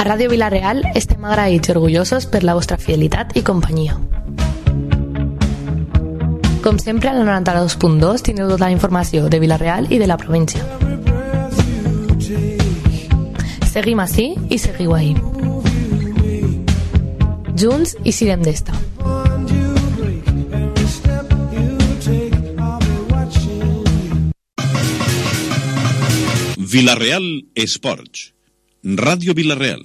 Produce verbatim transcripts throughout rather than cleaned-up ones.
A Ràdio Vila-real estem agraïts i orgullosos per la vostra fidelitat i companyia. Com sempre, a la noranta-dos punt dos tindreu tota la informació de Vila-real i de la província. Seguim ací i seguiu ahí. Junts i sirem d'esta. Vila-real Esports. Ràdio Vila-real.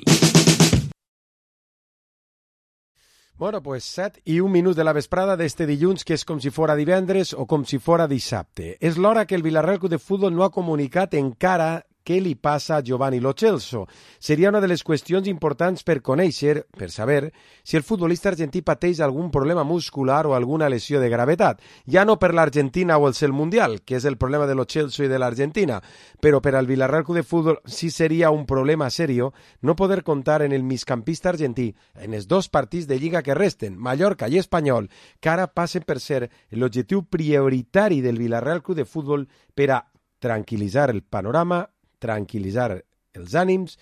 Bueno, pues set i un minut de la vesprada d'este dilluns, que és com si fora divendres o com si fora dissabte. És l'hora que el Vila-real Club de Futbol no ha comunicat encara què li passa a Giovanni Lo Celso. Seria una de les qüestions importants per conèixer, per saber, si el futbolista argentí pateix algun problema muscular o alguna lesió de gravetat. Ja no per l'Argentina o el cel mundial, que és el problema de Lo Celso i de l'Argentina, però per al Vila-real Club de Futbol sí seria un problema serio no poder comptar en el migcampista argentí en els dos partits de Lliga que resten, Mallorca i Espanyol, que ara passen per ser l'objectiu prioritari del Vila-real Club de Futbol per a tranquil·litzar el panorama, tranquil·litzar els ànims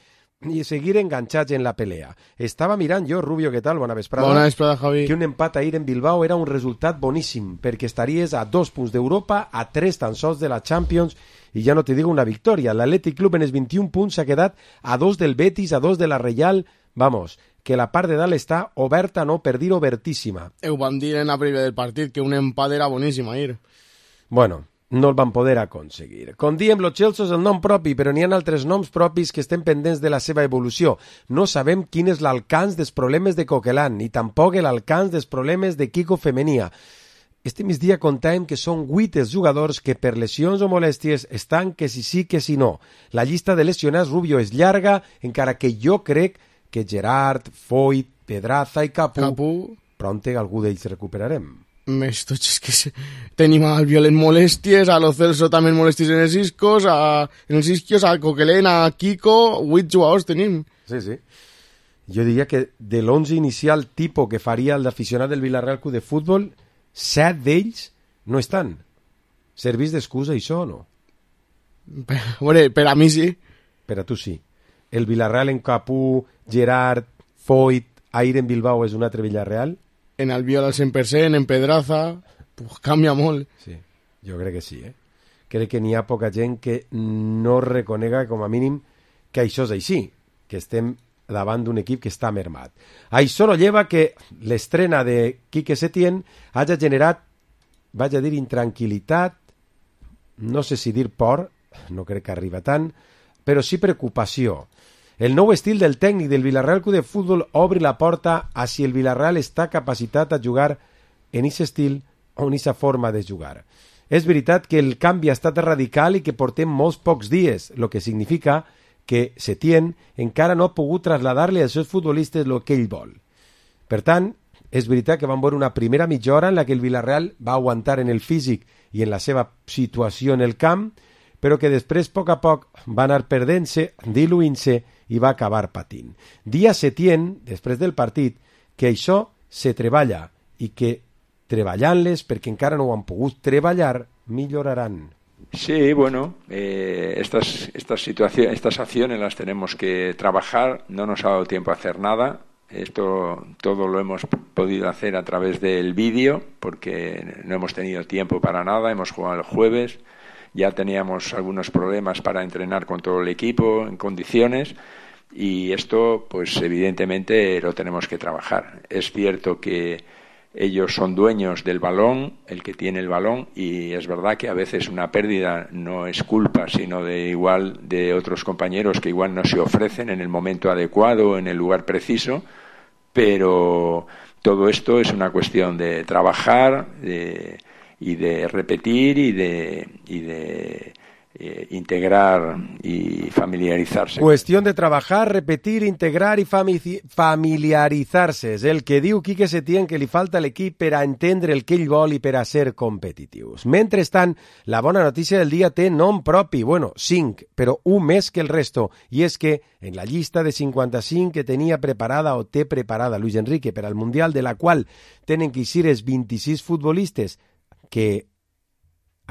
i seguir enganxats en la pelea. Estava mirant jo, Rubio, què tal? Bona vesprada. Bona vesprada, Javi. Que un empat ahir en Bilbao era un resultat boníssim, perquè estaries a dos punts d'Europa, a tres tan sols de la Champions, i ja no te digo una victòria. L'Atlètic Club en els vint-i-un punts s'ha quedat a dos del Betis, a dos de la Reial. Vamos, que la part de dalt està oberta, no per dir obertíssima. Ho vam dir en la prèvia del partit, que un empat era boníssim ahir. Bueno, no el van poder aconseguir. Com diem, Lo Celso és el nom propi, però n'hi ha altres noms propis que estem pendents de la seva evolució. No sabem quin és l'alcance dels problemes de Coquelin, ni tampoc l'alcance dels problemes de Kiko Femenia. Este migdia contàvem que són vuit els jugadors que per lesions o molèsties estan que si sí que si no. La llista de lesionats, Rubio, és llarga, encara que jo crec que Gerard, Foyt, Pedraza i Capu, Capu... pronte algú d'ells recuperarem. Més tots, és que se... tenim al Violent molèsties, a Lo Celso també molèsties en els iscos, a... en els isquios, a Coquelin, a Kiko, vuit jugadors tenim. Sí, sí. Jo diria que de l'onze inicial tipus que faria el d'aficionat del Vila-real Club de Futbol, set d'ells no estan. Servís d'excusa això o no? Per, bueno, per a mi sí. Per a tu sí. El Villarreal en Capú, Gerard, Foyt, ahir en Bilbao és un altre Villarreal? En Albiol al cent per cent, en Pedraza, pues canvia molt. Sí, jo crec que sí, eh? Crec que n'hi ha poca gent que no reconega, com a mínim, que això és així, que estem davant d'un equip que està mermat. Això no lleva que l'estrena de Quique Setién hagi generat, vaig a dir, intranquil·litat, no sé si dir por, no crec que arriba tant, però sí preocupació. El nou estil del tècnic del Vila-real Club de Futbol obre la porta a si el Vila-real està capacitat a jugar en aquest estil o en aquesta forma de jugar. És veritat que el canvi ha estat radical i que portem molts pocs dies, el que significa que Setién encara no ha pogut traslladar-li als seus futbolistes el que ell vol. Per tant, és veritat que vam veure una primera mitja hora en la que el Vila-real va aguantar en el físic i en la seva situació en el camp, però que després, a poc a poc, va anar perdent-se, diluint-se i va acabar patint. Dia Setién, després del partit, que això se treballa i que treballant-les, perquè encara no ho han pogut treballar, milloraran. Sí, bueno, eh, estas, estas, situaciones, estas acciones las tenemos que trabajar, no nos ha dado tiempo a hacer nada, esto todo lo hemos podido hacer a través del vídeo, porque no hemos tenido tiempo para nada, hemos jugado el jueves, ya teníamos algunos problemas para entrenar con todo el equipo en condiciones y esto pues evidentemente lo tenemos que trabajar. Es cierto que ellos son dueños del balón, el que tiene el balón, y es verdad que a veces una pérdida no es culpa sino de igual de otros compañeros que igual no se ofrecen en el momento adecuado, en el lugar preciso, pero todo esto es una cuestión de trabajar, de y de repetir y de, y de eh, integrar y familiarizarse. Cuestión de trabajar, repetir, integrar i fami- familiaritzar-se. És el que diu Quique Setién que li falta a l'equip per a entendre el que ell vol i per a ser competitius. Mentrestant, la bona notícia del dia té nom propi, bueno, cinc, però un més que el resto, i és que en la llista de cinquanta-cinc que tenia preparada o té preparada Luis Enrique per al Mundial, de la qual tenen que eixir els vint-i-sis futbolistes que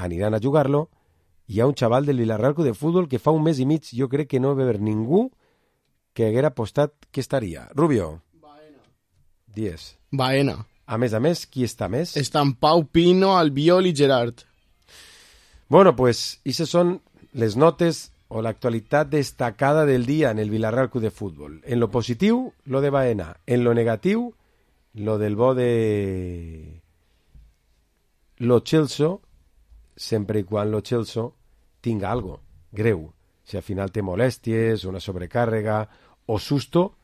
aniran a jugar-lo, hi ha un xaval del Vila-real Club de Futbol que fa un mes i mig jo crec que no va haver ningú que haguera apostat que estaria. Rubio. Baena. diez. Baena. A més a més, qui està més? Estan Pau, Pino, Albiol i Gerard. Bueno, pues, esas son les notes o la actualidad destacada del día en el Villarreal Club de Fútbol. En lo positivo, lo de Baena. En lo negativo, lo del bo de lo Chelsea, sempre i quan lo Chelsea tinga algo greu. Si al final té molèsties, una sobrecàrrega o susto,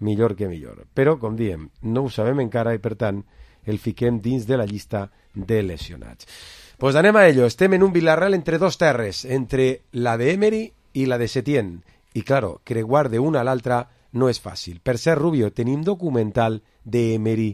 millor que millor. Però, com diem, no ho sabem encara i, per tant, el fiquem dins de la llista de lesionats. Pues anem a ello. Estem en un Villarreal entre dos terres, entre la de Emery i la de Setién. I, claro, creuar d'una a l'altra no és fàcil. Per cert, Rubio, tenim documental de Emery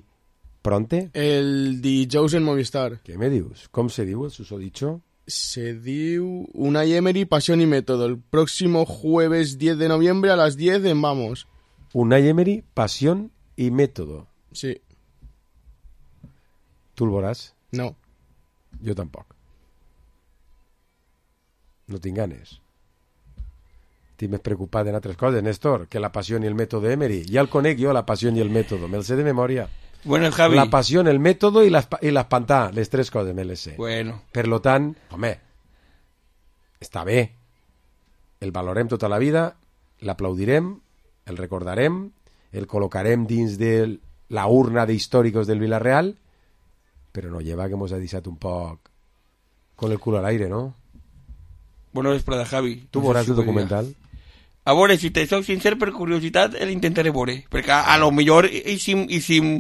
pronte? El dijous en Movistar. Què me dius? Com se diu el susodicho? Se diu Unai Emery, Pasión y Método. El próximo jueves diez de noviembre a las diez en Vamos. Unai Emery, Pasión y Método. Sí. Tu el veuràs? No. Jo tampoc. No tinc ganes. Estic més preocupat en altres coses, Néstor, que la passió i el mètode Emery. Ja el conec jo, la passió i el mètode. Me'l sé de memòria. Bueno, Javi. La passió, el mètode i l'espantà. Les tres coses me les sé. Bueno. Per lo tant, home, està bé. El valorem tota la vida, l'aplaudirem, el recordarem, el col·locarem dins de la urna de històricos del Villarreal, però no lleva que mos ha deixat un poc con el culo al aire, ¿no? Bona vesprada, Javi. Tu veuràs el documental? A veure, si te soc sincer, per curiositat, l'intentaré veure. Perquè a, a lo millor hicim, hicim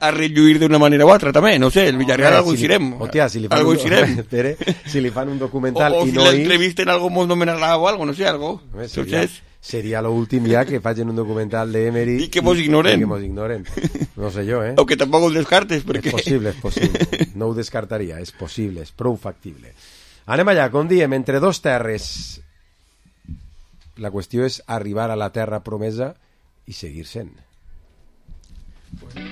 a relluir d'una manera o altra, també. No sé, el Villarreal algo si hicirem. Hòstia, si li fan, algo un, hicirem. espere, si li fan un documental o, o i si no hi... l'entrevisten algo molt nomenarà o algo, no sé, algo. Home, seria, Entonces... seria l'últim ja que facin un documental de Emery i que mos ignoren. I que mos ignoren. No sé jo, eh? O que tampoc ho descartes, perquè... És possible, és possible. No ho descartaria, és possible, és prou factible. Anem allà, com diem, entre dos terres. La qüestió és arribar a la terra promesa i seguir sent. Bueno.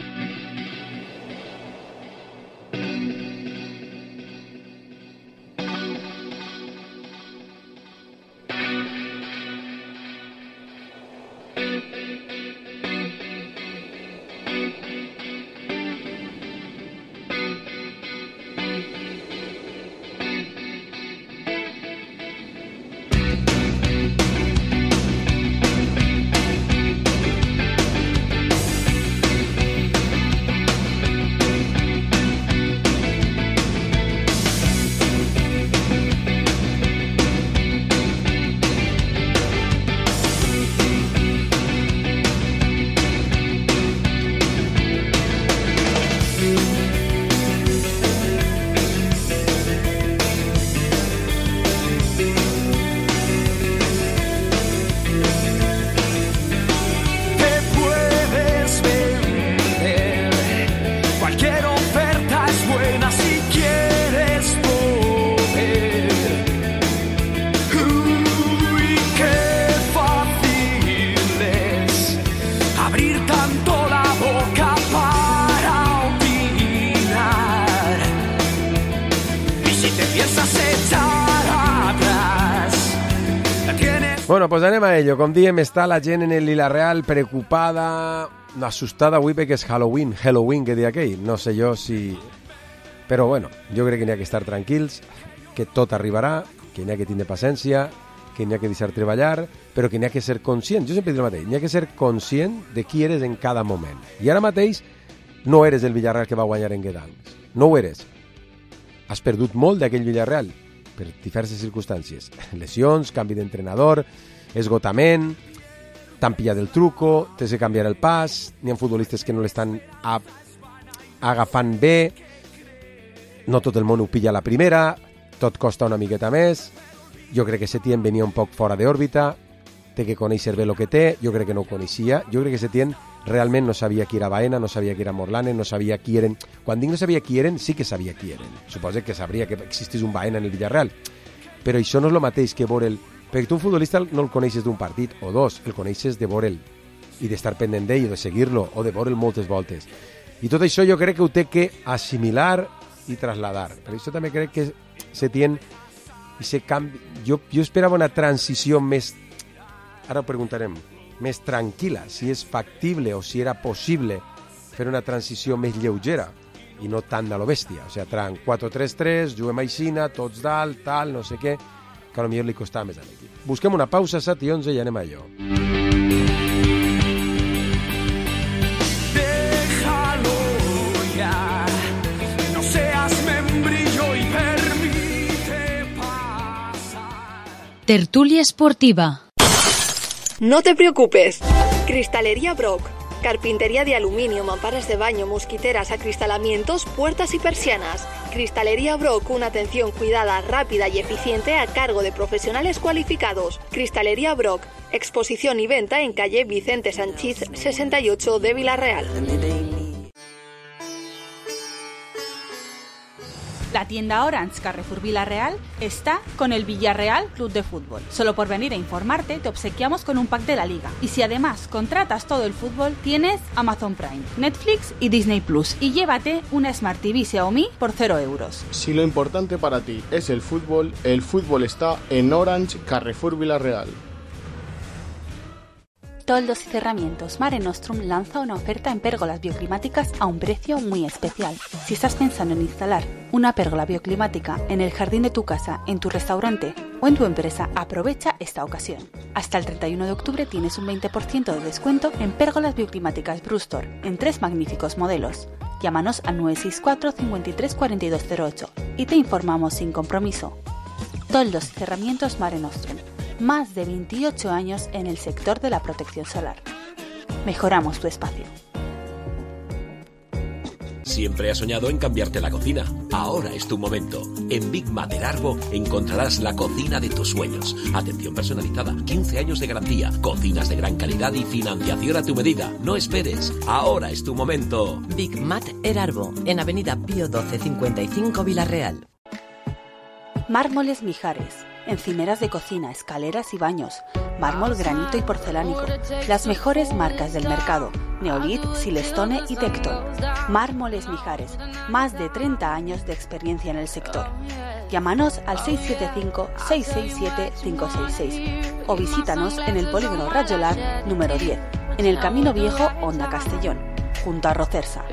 Bueno, pues anem a ello. Com diem, està la gent en el Villarreal preocupada, assustada avui perquè és Halloween, Halloween que deia aquell. No sé jo si... Però bueno, jo crec que n'hi ha que estar tranquils, que tot arribarà, que n'hi ha que tindre paciència, que n'hi ha que deixar treballar, però que n'hi ha que ser conscient. Jo sempre dic el mateix, n'hi ha que ser conscient de qui eres en cada moment. I ara mateix no eres el Villarreal que va guanyar en Guedancs. No ho eres. Has perdut molt d'aquell Villarreal, per diverses circumstàncies. Lesions, canvi d'entrenador, esgotament, t'han pillat el truco, t'has de canviar el pas, n'hi ha futbolistes que no l'estan a... agafant bé, no tot el món ho pilla a la primera, tot costa una miqueta més, jo crec que Setién venia un poc fora d'òrbita, té que conèixer bé el que té, jo crec que no ho coneixia, jo crec que Setién realment no sabia qui era Baena, no sabia qui era Morlane, no sabia qui eren... Quan dic no sabia qui eren, sí que sabia qui eren. Suposo que sabria que existís un Baena en el Villarreal. Però això no és el mateix que veure'l... Perquè tu un futbolista no el coneixes d'un partit o dos, el coneixes de veure'l i d'estar pendent d'ell o de seguir-lo o de veure'l moltes voltes. I tot això jo crec que ho té que assimilar i trasladar. Per això també crec que Setién i se canvi... jo, jo esperava una transició més ara ho preguntarem, més tranquil·la, si és factible o si era possible fer una transició més lleugera i no tan de lo bèstia. O sigui, tran quatre tres tres, juguem aixina, tots dalt, tal, no sé què, que potser li costava més a l'equip. Busquem una pausa, set i onze, i anem a allò. Déjalo ya, no seas membrillo y permite pasar. Tertulia esportiva. No te preocupes. Cristalería Brock. Carpintería de aluminio, mamparas de baño, mosquiteras, acristalamientos, puertas y persianas. Cristalería Brock, una atención cuidada, rápida y eficiente a cargo de profesionales cualificados. Cristalería Brock, exposición y venta en calle Vicente Sanchís sesenta y ocho de Villarreal. La tienda Orange Carrefour Villarreal está con el Villarreal Club de Fútbol. Solo por venir a informarte te obsequiamos con un pack de la liga. Y si además contratas todo el fútbol, tienes Amazon Prime, Netflix y Disney Plus. Y llévate una Smart T V Xiaomi por cero euros. Si lo importante para ti es el fútbol, el fútbol está en Orange Carrefour Villarreal. Toldos y Cerramientos Mare Nostrum lanza una oferta en pérgolas bioclimáticas a un precio muy especial. Si estás pensando en instalar una pérgola bioclimática en el jardín de tu casa, en tu restaurante o en tu empresa, aprovecha esta ocasión. Hasta el treinta y uno de octubre tienes un veinte por ciento de descuento en pérgolas bioclimáticas Brustor, en tres magníficos modelos. Llámanos al nueve seis cuatro, cinco tres, cuatro dos cero ocho y te informamos sin compromiso. Toldos y Cerramientos Mare Nostrum. Más de veintiocho años en el sector de la protección solar. Mejoramos tu espacio. Siempre has soñado en cambiarte la cocina. Ahora es tu momento. En Big Mat Erarbo encontrarás la cocina de tus sueños. Atención personalizada, quince años de garantía, cocinas de gran calidad y financiación a tu medida. No esperes. Ahora es tu momento. Big Mat Erarbo, en Avenida Pío doce cincuenta y cinco Villarreal. Mármoles Mijares. Encimeras de cocina, escaleras y baños, mármol, granito y porcelánico. Las mejores marcas del mercado: Neolit, Silestone y Tecton. Mármoles Mijares, más de treinta años de experiencia en el sector. Llámanos al seis siete cinco, seis seis siete, cinco seis seis o visítanos en el polígono Rayolar número diez, en el Camino Viejo, Honda Castellón, junto a Rocersa.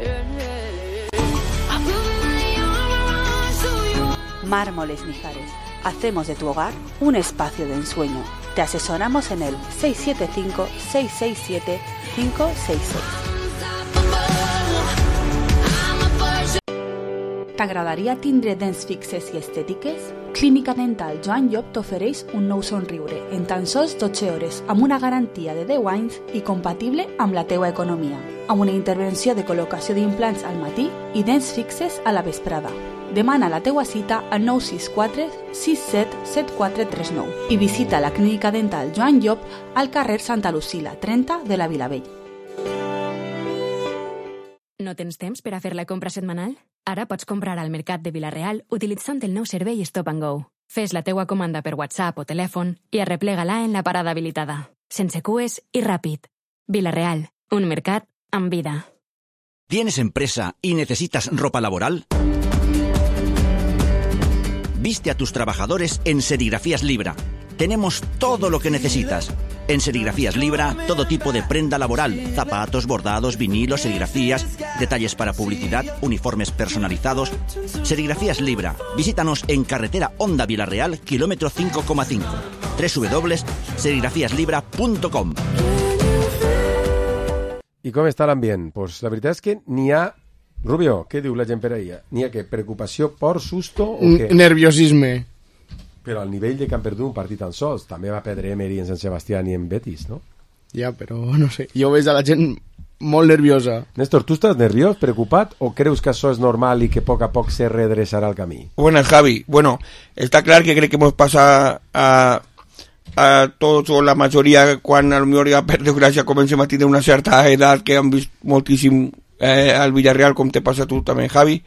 Mármoles Mijares. Hacemos de tu hogar un espacio de ensueño. Te asesoramos en el seis siete cinco, seis seis siete, cinco seis seis. T'agradaria tindre dents fixes i estètiques? Clínica Dental Joan Llop t'ofereix un nou somriure en tan sols dotze hores amb una garantia de deu anys i compatible amb la teua economia, amb una intervenció de col·locació d'implants al matí i dents fixes a la vesprada. Demana la teua cita al nou sis quatre, sis set, set quatre tres nou i visita la Clínica Dental Joan Llop al carrer Santa Lucila, trenta de la Vilavell. No tens temps per a fer la compra setmanal? Ara pots comprar al Mercat de Vilareal utilitzant el nou servei Stop and Go. Fes la teua comanda per WhatsApp o telèfon i arreplega-la en la parada habilitada. Sense cues i ràpid. Vilareal, un mercat amb vida. ¿Tienes empresa y necesitas ropa laboral? Viste a tus trabajadores en Serigrafías Libra. Tenemos todo lo que necesitas. En Serigrafías Libra, todo tipo de prenda laboral, zapatos, bordados, vinilos, serigrafías, detalles para publicidad, uniformes personalizados. Serigrafías Libra. Visítanos en carretera Honda Villarreal, kilómetro cinco coma cinco. doble u doble u doble u punt serigrafías libra punt com. I com està l'ambient? Pues la veritat és que n'hi ha... Rubio, què diu la gent per ahir? N'hi ha que preocupació, por, susto o què? Nerviosisme. Però al nivell de que han perdut un partit tan sols, també va perdre Emery en Sant Sebastià i en Betis, no? Ja, però no sé, jo veig a la gent molt nerviosa. Néstor, ¿tú estás nerviós, preocupat, o creus que això és normal i que a poc a poc se redreçarà el camí? Buenas, Javi. Bueno, está claro que crec que hemos pasado a, a tots o la majoria quan a lo millor ja per desgràcia comencem a tenir una certa edat que han vist moltíssim eh, al Villarreal, com te passa a tu també, Javi,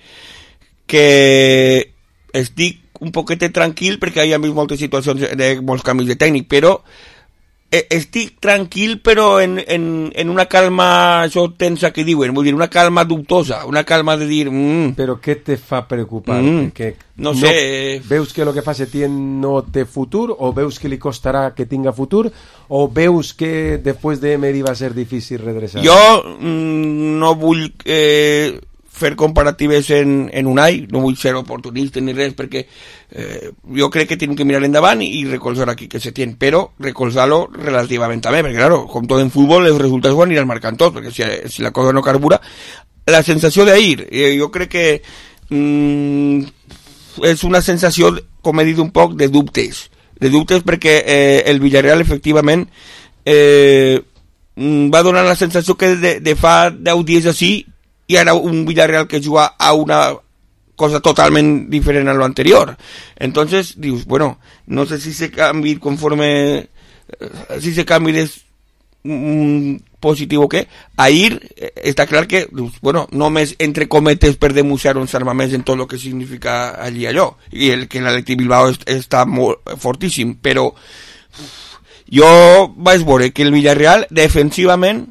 que estic un poquet tranquil perquè hi ha vist moltes situacions de molts canvis de tècnic, però eh, estic tranquil però en, en, en una calma això tensa que diuen, vull dir, una calma dubtosa, una calma de dir... Mm, però què te fa preocupar? Mm, que no sé... No, veus que el que fa Setién no té futur, o veus que li costarà que tinga futur, o veus que després d'Emery va ser difícil redreçar? Jo mm, no vull... Eh, fer comparatives en, en Unai, no vull ser oportunista ni res, perquè eh, jo crec que tenim que mirar endavant i recolzar aquí que se tiene, però recolzar-lo relativament també, perquè claro, com tot en futbol els resultats ho aniran marcant tot, perquè si, si la cosa no carbura, la sensació d'ahir, eh, jo crec que mm, és una sensació, com he dit un poc, de dubtes, de dubtes perquè eh, el Villarreal efectivament eh, va donar la sensació que de, de fa deu dies així i ara un Villarreal que juga a una cosa totalment diferent a lo anterior. Entonces, dius, bueno, no sé si se canvi conforme, si se canvi és mm, positiu o què. Ahir eh, està clar que, dius, bueno, només entre cometes per demostrar uns armaments en tot el que significa allí allò, i el que l'Atlètic Bilbao est, està molt fortíssim, però jo vaig veure que el Villarreal defensivament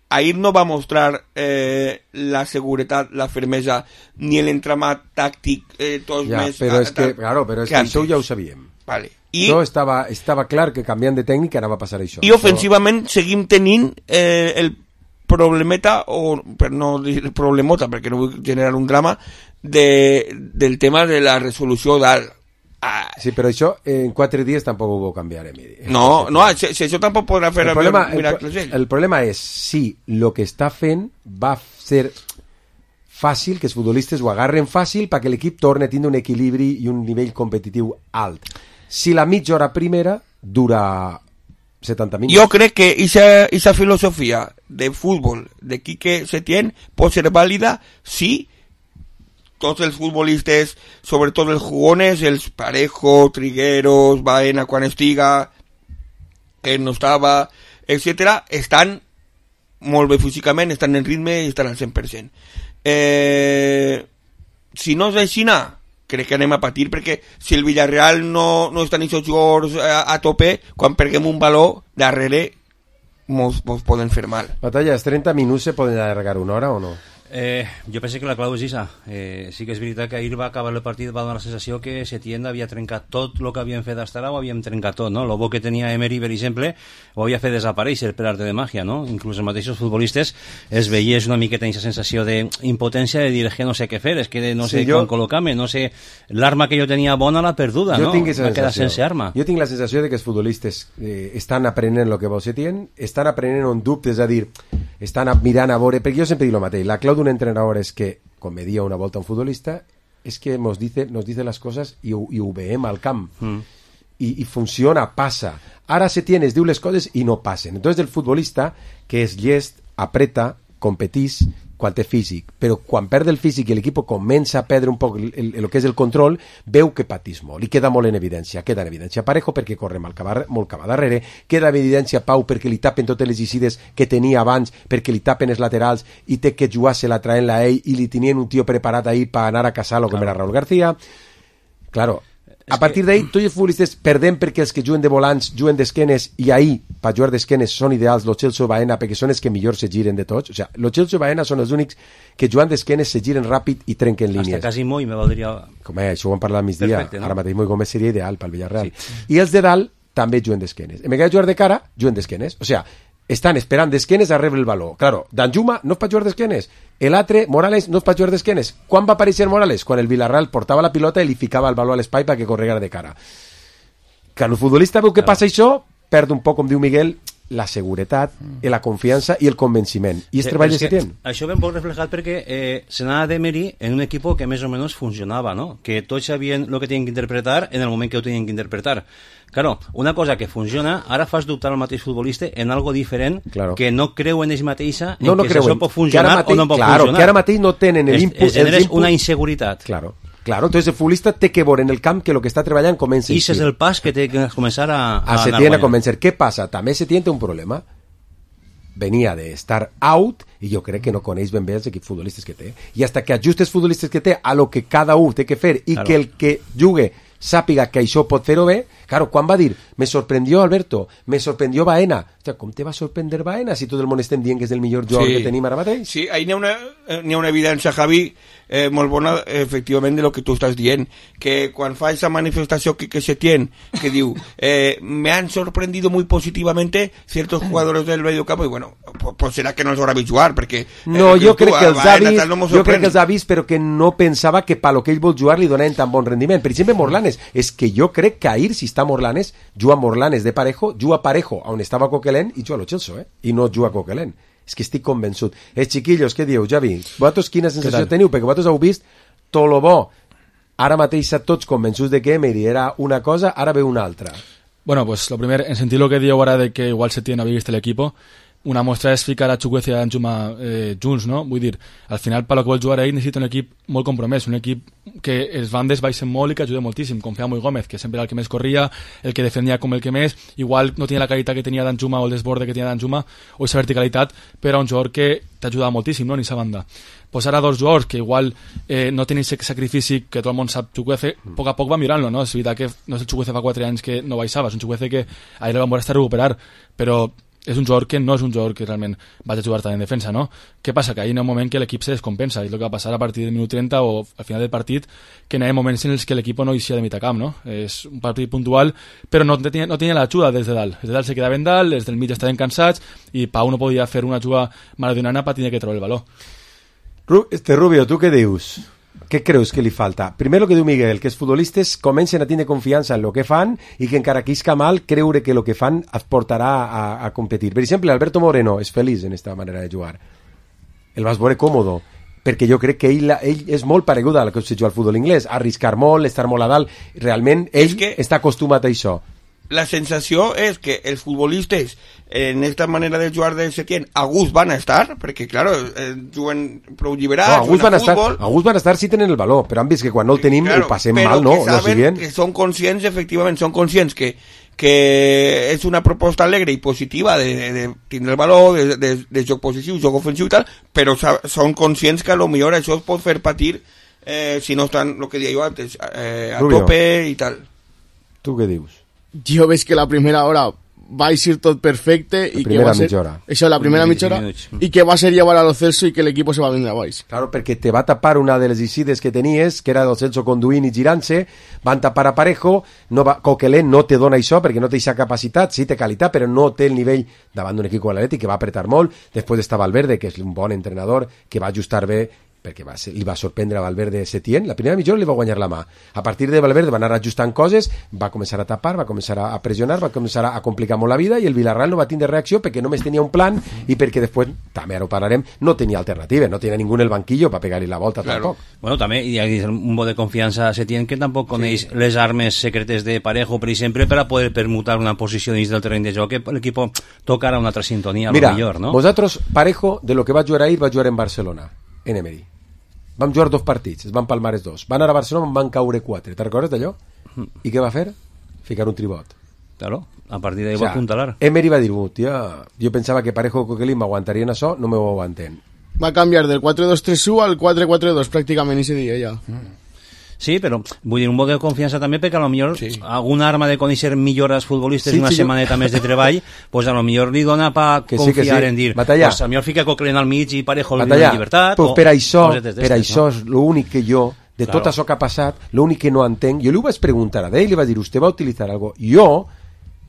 ahir no va mostrar eh, la seguretat, la fermesa, ni l'entramat tàctic, eh, tots ja, més... Però és que, claro, però és que, que això ja ho sabíem. Vale. I, no, estava, estava clar que canviant de tècnic anava a passar això. I ofensivament això... seguim tenint eh, el problemeta, o per no dir problemota, perquè no vull generar un drama, de, del tema de la resolució dalt. Ah. Sí, però això en quatre dies tampoc ho va canviar, Emiri. No, no, si, si això tampoc podrà fer el problema, miracles el, el problema és si el que està fent va ser fàcil, que els futbolistes ho agarren fàcil perquè l'equip torni a tindre un equilibri i un nivell competitiu alt. Si la mitja hora primera dura setanta minuts. Jo crec que aquesta filosofia de futbol de Quique Setién pot ser vàlida si tots els futbolistes, sobretot els jugones, els Parejo, Trigueros, Baena quan estiga, que no estava, etcètera, estan molt bé físicament, estan en ritme i estan al cent per cent. Eh, si no és així, crec que anem a patir, perquè si el Villarreal no, no estan aquests jugadors a, a tope, quan perguem un valor darrere, mos, mos poden fer mal. Batalla, els trenta minuts se poden allargar una hora o no? Eh, jo penso que la clau és això. Eh, sí que és veritat que ahir va acabar el partit, va donar la sensació que Setién havia trencat tot el que havien fet fins ara, ho havíem trencat tot, no? Lo bo que tenia Emery, per exemple, ho havia fet desaparèixer per arte de màgia, no? Inclús els mateixos futbolistes es veies una miqueta aquesta sensació d'impotència de dir, és que no sé què fer, és que no sé sí, jo... com col·locar-me, no sé, l'arma que jo tenia bona l'ha perduda, jo no? Va quedar sense arma. Jo tinc la sensació de que els futbolistes eh, estan aprenent el que vol Setién, estan aprenent un dubte, és a dir, estan mirant a veure, perquè jo sempre dic el mateix, la clau d'un entrenador és que, com me dia una volta un futbolista, és que nos dice, nos dice les coses i ho, i ho veiem al camp. Mm. I, I funciona, passa. Ara Setién es diu les coses i no passen. Entonces el futbolista, que és llest, apreta, competís, quan té físic, però quan perd el físic i l'equip comença a perdre un poc el, el, el que és el control, veu que patís molt, i queda molt en evidència, queda en evidència Parejo perquè corre molt cap, molt cap a darrere, queda en evidència Pau perquè li tapen totes les xides que tenia abans, perquè li tapen els laterals i té que jugar-se-la traient-la a ell i li tenien un tio preparat ahir per anar a casar-lo com claro. Era Raúl García. Claro, a partir que... d'ahir tots els futbolistes perdem perquè els que juguen de volants juguen d'esquenes i ahir per jugar d'esquenes són ideals Lo Celso Baena perquè són els que millor se giren de tots, o sigui, Lo Celso i Baena són els únics que jugant d'esquenes se giren ràpid i trenquen línies. Hasta Casimo i me valdria... Com és, això ho vam parlar al migdia, perfecte, no? Ara mateix Moi Gómez seria ideal pel Villarreal. Sí. I els de dalt també juguen d'esquenes. En vegada de jugar de cara, juguen d'esquenes. O sigui, estan esperant d'esquenes a rebre el valor. Claro, Danjuma no és per jugar d'esquenes. L'altre, Morales, no és per jugar d'esquenes. Quan va aparèixer Morales? Quan el Villarreal portava la pilota i li ficava el valor a l'espai perquè corregara de cara. Quan el futbolista veu que claro. Passa això, perd un poc, com diu Miguel, la seguretat, mm. la confiança i el convenciment. I és sí, treball de Setién. Això ben poc reflejat perquè eh, s'anava d'Emery en un equip que més o menys funcionava, no? Que tots sabien el que tenien que interpretar en el moment que ho tenien que interpretar. Claro, una cosa que funciona, ara fas dubtar al mateix futbolista en algo diferent claro. Que no creu en ells mateixa en no, no que creuen. Això pot funcionar mateix, o no pot claro, funcionar. Que ara mateix no tenen l'input. Es, es una inseguretat. Claro. Claro, entonces el futbolista té que veure en el camp que el que està treballant comença I ese és el pas que té que començar a, a, a Setién a convencer. Què passa? També Setién té un problema. Venia de estar out i jo crec que no coneix ben bé els equips futbolistes que té. I hasta que ajustes futbolistes que té a lo que cada un té que fer i claro. Que el que jugue sàpiga que això pot fer-ho bé. Claro, quan va dir, me sorprendió Alberto, me sorprendió Baena. Hòstia, com te va sorprendre Baena si tot el món estem dient que és el millor jugador Sí. que tenim ara mateix? Sí, ahí n'hi ha una, eh, n'hi ha una evidència, Javi, eh, molt bona, efectivament, de lo que tu estàs dient, que quan fa esa manifestació que, que se tiene, que diu, eh, me han sorprendido muy positivamente ciertos jugadores del medio campo, y bueno, pues, pues será que no els haurà vist jugar, perquè... Eh, No, jo tu, crec que els ha Baena, vist, tal, no mos jo crec sorprèn. que els ha vist, però que no pensava que pa lo que ell vol jugar li donaven tan bon rendiment. Per exemple, Morlanes, és que jo crec que ahir, si està Morlanes, juga Morlanes de Parejo, juga Parejo on estava Coquelin i juga a lo Chelsea, eh? I no juga Coquelin. És que estic convençut. Els chiquillos, què dieu, Javi? Vosaltres quina sensació teniu? Perquè vosaltres heu vist tot lo bo. Ara mateix a tots convençuts de que Emery era una cosa, ara ve una altra. Bueno, pues lo primer, en sentir lo que digo ahora de que igual se tiene a vist el equipo, una mostra és ficar a Chukwueze i a Danjuma eh, junts, no? Vull dir, al final, per lo que vol jugar ell, necessita un equip molt compromès, un equip que els bandes baixen molt i que ajuda moltíssim, com feia Moi Gómez, que sempre era el que més corria, el que defendia com el que més, igual no tenia la qualitat que tenia Danjuma o el desborde que tenia Danjuma, o aquesta verticalitat, però un jugador que t'ajuda moltíssim, no?, en aquesta banda. Pues ara dos jugadors que igual eh, no tenen aquest sacrifici que tot el món sap Chukwueze, a poc a poc va mirant-lo, no? És veritat que no és el Chukwueze fa quatre anys que no baixava, és un Chukwueze que ahir el vam veure estar a recuperar, però és un jugador que no és un jugador que realment vaig a jugar tant en defensa, no? Què passa? Que ahir hi ha un moment que l'equip se descompensa, i és el que va passar a partir del minut trenta o al final del partit, que hi ha moments en els que l'equip no eixia de mitjà camp, no? És un partit puntual, però no tenia, no tenia l'ajuda des de dalt. Des de dalt se quedaven dalt, des del mig estaven cansats, i Pau no podia fer una jugada maradoniana per tenir que treure el valor. Este Rubio, tu què dius? Què creus que li falta? Primer el que diu Miguel, que els futbolistes comencen a tindre confiança en el que fan i que encara que isca mal, creure que el que fan es portarà a, a competir. Per exemple, Alberto Moreno és feliç en aquesta manera de jugar. El vas veure còmodo, perquè jo crec que ell, ell és molt paregut al que se juga al futbol inglès, arriscar molt, estar molt a dalt, realment ell que està acostumat a això. La sensació és que els futbolistes en esta manera de jugar de Setién a gust van a estar, perquè claro, eh, juguen prou lliberats, no, a gust van a estar, futbol, a gust van a estar si tenen el valor, però han vist que quan no el tenim claro, el passem però mal, no? que saben no que són conscients, efectivament, són conscients que que és una proposta alegre i positiva de, de, de tindre el valor, de, de, de joc positiu, joc ofensiu i tal, però són conscients que a lo millor això es pot fer patir eh, si no estan, el que deia jo antes, eh, a Rubio, tope i tal. Tu què dius? Jo veig que la primera hora va eixir tot perfecte la i que va ser... hora. Això, la primera mitja hora, i que va ser llevar a lo Celso i que l'equip se va vindre a baix. Claro, perquè te va tapar una de les incides que tenies, que era del Celso conduint i girant-se, van tapar a Parejo, no va, Coquelin no te dona això perquè no té aquesta capacitat, sí té qualitat, però no té el nivell davant d'un equip com l'Atlètic, que va apretar molt. Després està Valverde, que és un bon entrenador, que va ajustar bé, perquè va ser, li va sorprendre a Valverde Setién. La primera mitja hora li va guanyar la mà. A partir de Valverde va anar ajustant coses, va començar a tapar, va començar a pressionar, va començar a complicar molt la vida, i el Villarreal no va tindre reacció perquè només tenia un plan i perquè després, també ara ho parlarem, no tenia alternativa, no tenia ningú en el banquillo per pegar-li la volta, claro. Tampoc. Bueno, també hi ha un bo de confiança a Setién que tampoc coneix sí. les armes secretes de Parejo, per exemple, per a poder permutar una posició dins del terreny de joc que l'equip tocarà una altra sintonia, Mira, a lo millor, no? Vosaltres, Parejo, de lo que va jugar ahir, va jugar en Barcelona, en Emery. Vam jugar dos partits, es van palmar els dos. Van anar a Barcelona, en van caure quatre. Te'n recordes d'allò? Mm. I què va fer? Ficar un tribot. Claro, a partir d'ahí o sea, va apuntalar. Emery va dir, tia, jo pensava que Parejo i Coquelin m'aguantarien això, no m'ho aguanten. Va canviar del quatre dos tres u al quatre quatre dos pràcticament ese dia ja. Mm. Sí, però vull dir, un bo de confiança també perquè a lo millor sí. alguna arma de conèixer millor als futbolistes sí, una sí, setmaneta jo... més de treball, pues a lo millor li dona pa que confiar sí, sí. en dir, Batallar. pues a lo millor fica Coquelin al mig i Parejo en llibertat. Pues o per això, per això no? és l'únic que jo, de claro. tot això que ha passat, l'únic que no entenc, jo li ho vaig preguntar a ell, li vaig dir, ¿usted va a utilizar algo? Jo,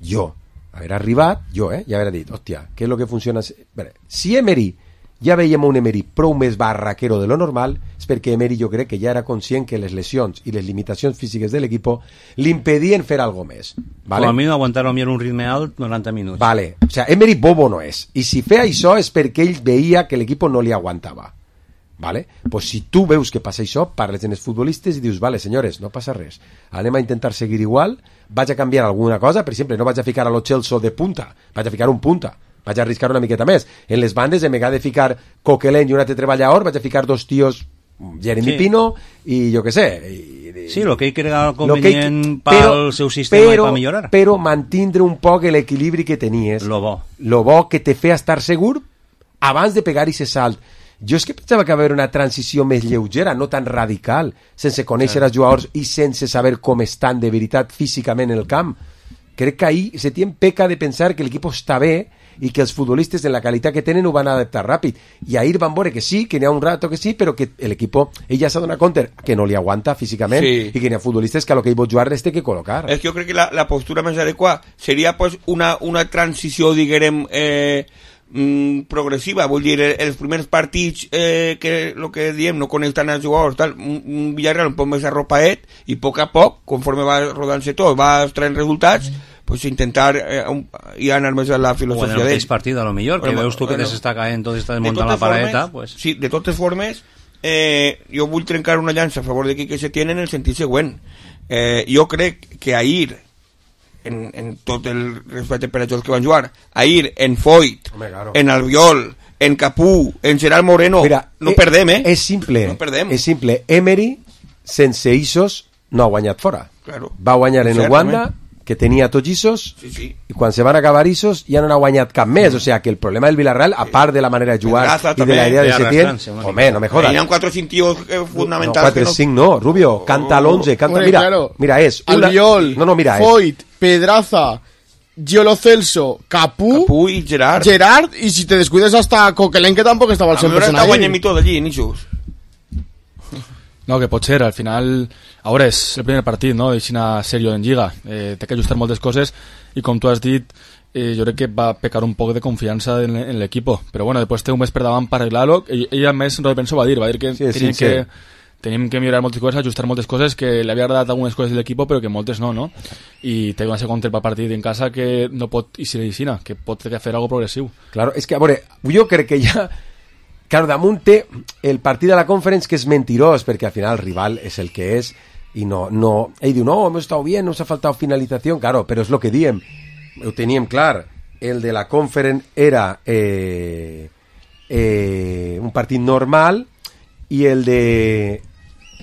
jo, haver arribat, jo, eh, ja haver dit, hòstia, què és lo que funciona? Bé, si Emery ja veiem un Emery prou més barraquero de lo normal, és perquè Emery jo crec que ja era conscient que les lesions i les limitacions físiques de l'equip li impedien fer algo més. ¿Vale? Com a mi no aguantar un ritme alt noranta minuts. Vale. O sea, Emery bobo no és. I si feia això és perquè ell veia que l'equip no li aguantava. Vale? Pues si tu veus que passa això, parles amb els futbolistes i dius, vale, senyores, no passa res. Anem a intentar seguir igual, vaig a canviar alguna cosa, per exemple, no vaig a ficar a lo Chelsea de punta, vaig a ficar un punta. Vaig a arriscar una miqueta més. En les bandes, en vegada de ficar Coquelin i un altre treballador, vaig a ficar dos tios, Jeremy sí. Pino i jo què sé. I, i, sí, el que ell crega convenient ell... pel seu sistema però, i per millorar. Però mantindre un poc l'equilibri que tenies. Lo bo. Lo bo que te feia estar segur abans de pegar i ese salt. Jo és que pensava que va haver una transició més lleugera, no tan radical, sense conèixer els jugadors i sense saber com estan de veritat físicament en el camp. Crec que ahir Setién peca de pensar que l'equip està bé i que els futbolistes en la qualitat que tenen ho van adaptar ràpid. I ahir van veure que sí, que n'hi ha un rato que sí, però que l'equip ella s'ha donat compte que no li aguanta físicament Sí. i que n'hi ha futbolistes que a lo que ell vol jugar les té que col·locar. És que jo crec que la, la postura més adequada seria pues, una, una transició, diguem, eh, mm, progressiva. Vull dir, els primers partits eh, que lo que diem no coneix tant els jugadors, tal, un, un Villarreal un poc més arropaet i a poc a poc, conforme va rodant-se tot, va traient resultats, pues intentar eh, un, i anar més a la O en filosofia el d'ell. mateix partit, a lo millor, que Bueno, veus tu que bueno, t'està caent tot, estàs de muntant la totes paradeta, formes, pues... sí, de totes formes, eh, jo vull trencar una llança a favor de Quique Setién en el sentit següent. Eh, jo crec que ahir, en, en tot el respecte per a tots que van jugar, ahir en Foyt, Home, claro. en Albiol, en Capú, en Gerard Moreno, Mira, no eh, perdem, eh? És simple, No perdem. és simple. Emery, sense Isos, no ha guanyat fora. Claro. Va guanyar en el Certament. Wanda, que tenia tots Isos, Sí, sí. i quan se van acabar Isos ja no n'ha guanyat cap més. O sea, que el problema del Villarreal, a part de la manera de jugar Raza i de també. la idea de De Setién, arrastrarse, una home, no me jodas. Hi ha cuatro o cinco tíos eh, No, fundamentals. quatre, que no- cinc no, Rubio, canta al once, canta, Hombre, mira, claro. mira, és una... Albiol, no, no, mira, és Foyt, Pedraza, Giolo Celso, Capú, Capú y Gerard. Gerard, y si te descuides hasta Coquelin, que tampoco estaba al A cent per veure, cent està ahí. guanyant mi tot allí, Nisos. No, que pot ser, al final ara és el primer partit, no?, d'eixina sèrio en Lliga, eh, té que ajustar moltes coses i com tu has dit, eh, jo crec que va pecar un poc de confiança en, en l'equipo, però bueno, després té un mes per davant per arreglar-lo, ell, ell a més no penso va dir, va dir que Sí, teníem sí, que sí. tenim que millorar moltes coses, ajustar moltes coses, que li havia agradat algunes coses de l'equip però que moltes no, no? I té una segona per partit en casa que no pot eixir d'eixina, que pot fer algo progressiu. Claro, és que, a veure, jo crec que ja... Claro, damunt té el partit de la Conference, que és mentirós, perquè al final el rival és el que és, i no... no ell diu, no, hemos estado bien, nos ha faltado finalización, claro, però és lo que diem, ho teníem clar, el de la Conference era eh, eh, un partit normal, i el de...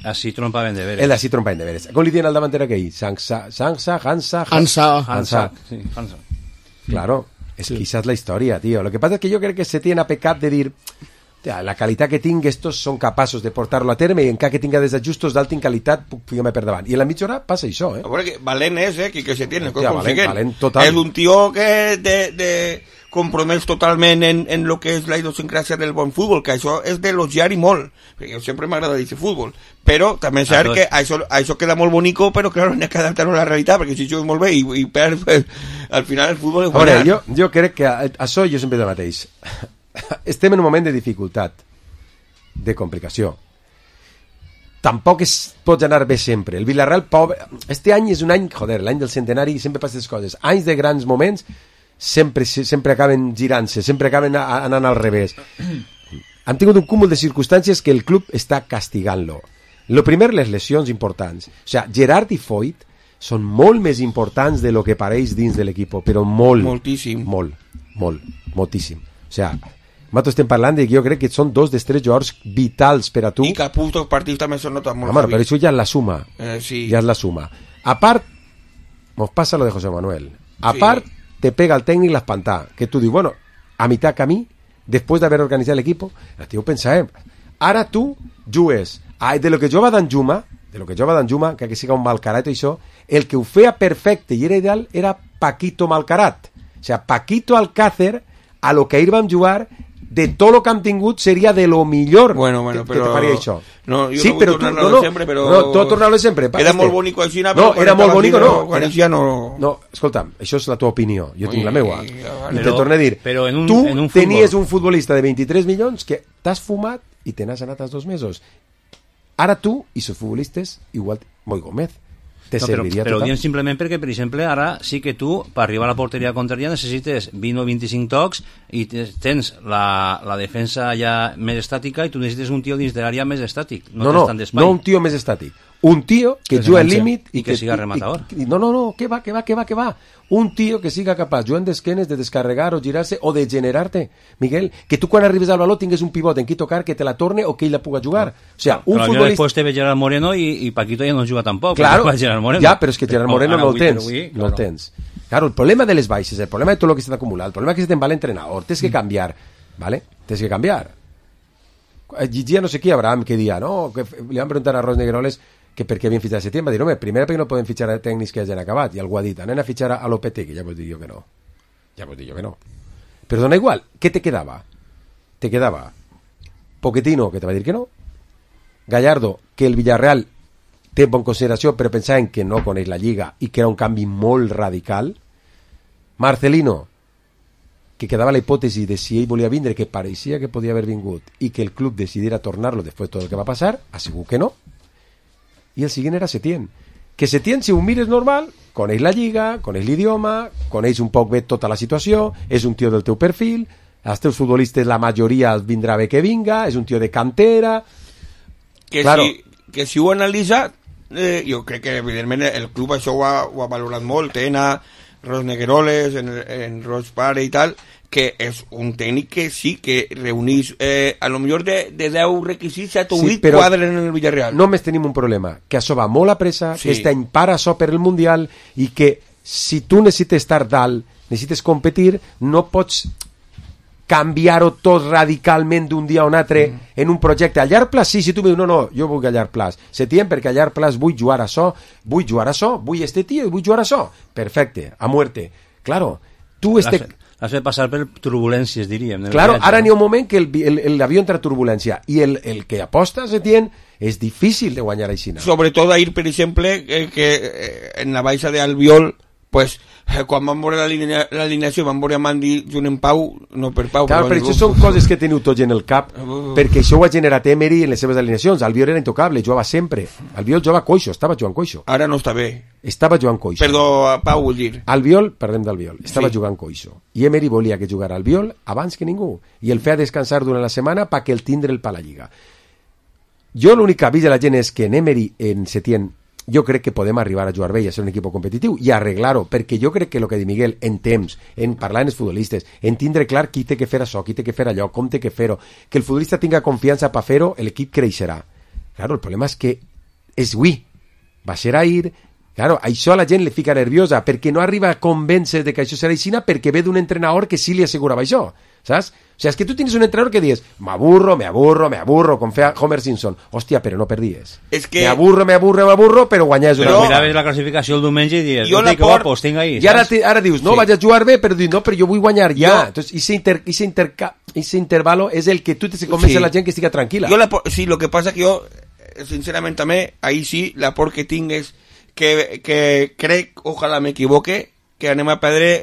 Así trompaven de veres. El d'ací trompaven de veres. Com li diuen al davanter aquell? Sansa, Sansa, Hansa... Hansa. Hansa. Sí, Hansa. Claro, es que esa es la historia, tío. Lo que pasa es que yo creo que se tiene a pecat de dir, tia, la qualitat que tinc, estos són capaços de portar-lo a terme, i encara que tinga desajustos d'alta qualitat, puc ficar-me per davant. I en la mitja hora passa això, eh? A veure, que valent és, eh, que, que se tiene. Hòstia, valent, valent total. És un tio que de, de compromès totalment en, en lo que és la idiosincràsia del bon futbol, que això és d'elogiar i molt, perquè jo sempre m'agrada dir futbol, però també és cert que això, això queda molt bonico, però clar, n'hi ha que adaptar-ho a la realitat, perquè si jugues molt bé i, i perds, pues, al final el futbol és A veure, guanyar. jo, jo crec que a- això jo sempre dic el mateix. Estem en un moment de dificultat, de complicació. Tampoc es pot anar bé sempre. El Villarreal, pobre... Este any és un any, joder, l'any del centenari, sempre passen les coses. Anys de grans moments sempre, sempre acaben girant-se, sempre acaben a- anant al revés. Han tingut un cúmul de circumstàncies que el club està castigant-lo. Lo primer, les lesions importants. O sea, Gerard i Foyt són molt més importants de lo que pareix dins de l'equip, però molt. Moltíssim. Molt, molt, moltíssim. O sea, nosaltres estem parlant de que jo crec que són dos dels tres jugadors vitals per a tu. I Capú, els partits també són notat molt. Home, heavy. però això ja és la suma. Eh, sí. Ja és la suma. A part, nos pasa lo de José Manuel. A Sí. part, te pega el tècnic l'espantà. Que tu dius, bueno, a mitad camí, después de haber organizado el equipo, el tío pensa, eh, ara tu jugues ai, de lo que jo va d'Anjuma, de lo que jo va d'Anjuma, que que siga un malcarat i això, el que ho feia perfecte i era ideal era Paquito Malcarat. O sea, Paquito Alcácer, a lo que ahir vam jugar, de tot lo que hem tingut seria de lo millor Bueno, bueno, que, però... que te faria això. No, jo sí, no vull però tu, tornar-lo no, no, sempre, però... no, tu tornar-lo sempre. Era molt bonico així, però no, quan era molt estava bonico, aquí, no. quan Era- ja no... No, escolta'm, això és la teva opinió, jo tinc Ui, la meua. vale. I te Però- torno a dir, però en un- tu en un futbol- tenies un futbolista de vint-i-tres milions que t'has fumat i te n'has anat als dos mesos. Ara tu i els futbolistes, igual, Moi Gómez, te No, però, serviria però ho total. diem simplement perquè, per exemple, ara sí que tu, per arribar a la porteria contrària, necessites vint o vint-i-cinc tocs i te- tens la, la defensa ja més estàtica i tu necessites un tio dins de l'àrea més estàtic. No, No, tens no, tant d'espai. no un tio més estàtic. Un tio que Que juga al s'enganxa límit i que siga rematador. i- i- no, no, no, que va, que va, que va, que va. Un tio que siga capaç, jugant d'esquenes, de descarregar o girar-se o de generar-te. Miguel, que tu quan arribes al baló tingues un pivot en qui tocar que te la torne o que ell la puga jugar. O sea, un Però futbolista... després te ve Gerard Moreno i, i Paquito ja no juga tampoc. Claro, Va Gerard Moreno. ja, però és que Gerard Moreno Ara no el avui per tens, avui, no el tens. Claro, el problema de les baixes, el problema de tot el que s'ha acumulat, el problema que se te'n va l'entrenador, tens que canviar, ¿vale? Tens que canviar. Llegia no sé qui, Abraham, que dia, no? Que li van preguntar a Ros Negueroles que per què havien fitxat a Setién. Va dir, home, primer perquè no podem fitxar a tècnics que hagin acabat. I algú ha dit, anem a fitxar a Lopetegui. Ja vos dic jo que no. Ja vos dic jo que no. Però dona igual. Què te quedava? Te quedava Pochettino, que te va dir que no. Gallardo, que el Villarreal té bon consideració, però pensaven que no coneix la Lliga i que era un canvi molt radical. Marcelino, que quedava la hipòtesi de si ell volia vindre, que pareixia que podia haver vingut, i que el club decidiera tornar-lo després de tot el que va passar, ha sigut que no. I el següent era Setién. Que Setién, si ho mires normal, coneix la Lliga, coneix l'idioma, coneix un poc bé tota la situació, és un tio del teu perfil, els teus futbolistes, la majoria els vindrà bé que vinga, és un tio de cantera... Que, claro. si, que si ho analitza, eh, jo crec que evidentment el club això ho ha, ho ha valorat molt, tenen a Ros Negueroles, en, en Ros Pare i tal, que és un tècnic que sí que reunís eh, a lo millor de, de deu requisits set o vuit sí, quadres en el Villarreal. Només tenim un problema, que això va molt a pressa, sí. Que aquest any para això per el Mundial i que si tu necessites estar dalt, necessites competir, no pots canviar-ho tot radicalment d'un dia a un altre mm. en un projecte a llarg plaç. Sí, si tu em dius, no, no, jo vull a llarg plaç. Setién, perquè a llarg plaç vull jugar a això, vull jugar a això, vull este tio i vull jugar a això. Perfecte, a muerte. Claro, tu este... L'has fet passar per turbulències, diríem. Claro, viatge, ara no? n'hi ha un moment que l'avió entra a turbulència i el, el que aposta a Setién és difícil de guanyar així. Sobretot a ir, per exemple, eh, que eh, en la baixa d'Albiol, pues, eh, quan van veure l'alineació, van veure a Mandi junt en Pau, no per Pau. Clar, però això són coses que teniu tots en el cap, uh, perquè això ho ha generat Emery en les seves alineacions. Albiol era intocable, jugava sempre. Albiol jugava coixo, estava jugant coixo. Ara no està bé. Estava jugant coixo. Perdó, Pau, vull dir. Albiol, parlem d'Albiol, estava sí. jugant coixo. I Emery volia que jugara Albiol abans que ningú. I el feia descansar durant la setmana perquè el tindre el pa la Lliga. Jo l'únic que avís de la gent és que en Emery, en Setién, jo crec que podem arribar a jugar bé i a ser un equip competitiu i arreglar-ho, perquè jo crec que el que diu Miguel, en temps, en parlar amb els futbolistes, en tindre clar qui té que fer això, qui té que fer allò, com té que fer-ho, que el futbolista tinga confiança per fer-ho, l'equip creixerà. Claro, el problema és que és avui, va ser ahir, claro, això a la gent li fica nerviosa, perquè no arriba a convèncer de que això serà així, perquè ve d'un entrenador que sí li assegurava això, saps? O sea, es que tú tienes un entrenador que dices, me aburro, me aburro, me aburro, con fea Homer Simpson. Hòstia, però no perdies. Es que... Me aburro, me aburro, me aburro, però guanyes una... Però miraves la classificació el diumenge i dius, no, que por... guapos, tinc ahí. I ara, te, ara dius, no, sí. Vaig a jugar bé, però dius, no, però jo vull guanyar ja. Jo... Entonces, ese, inter, ese, interca... ese intervalo és el que tu te convence sí. La gent que estigui tranquil·la. Jo la por... Sí, lo que pasa que jo, sincerament també, ahí sí, la por que tinc és que, que crec, ojalà m'equivoque, que anem a perdre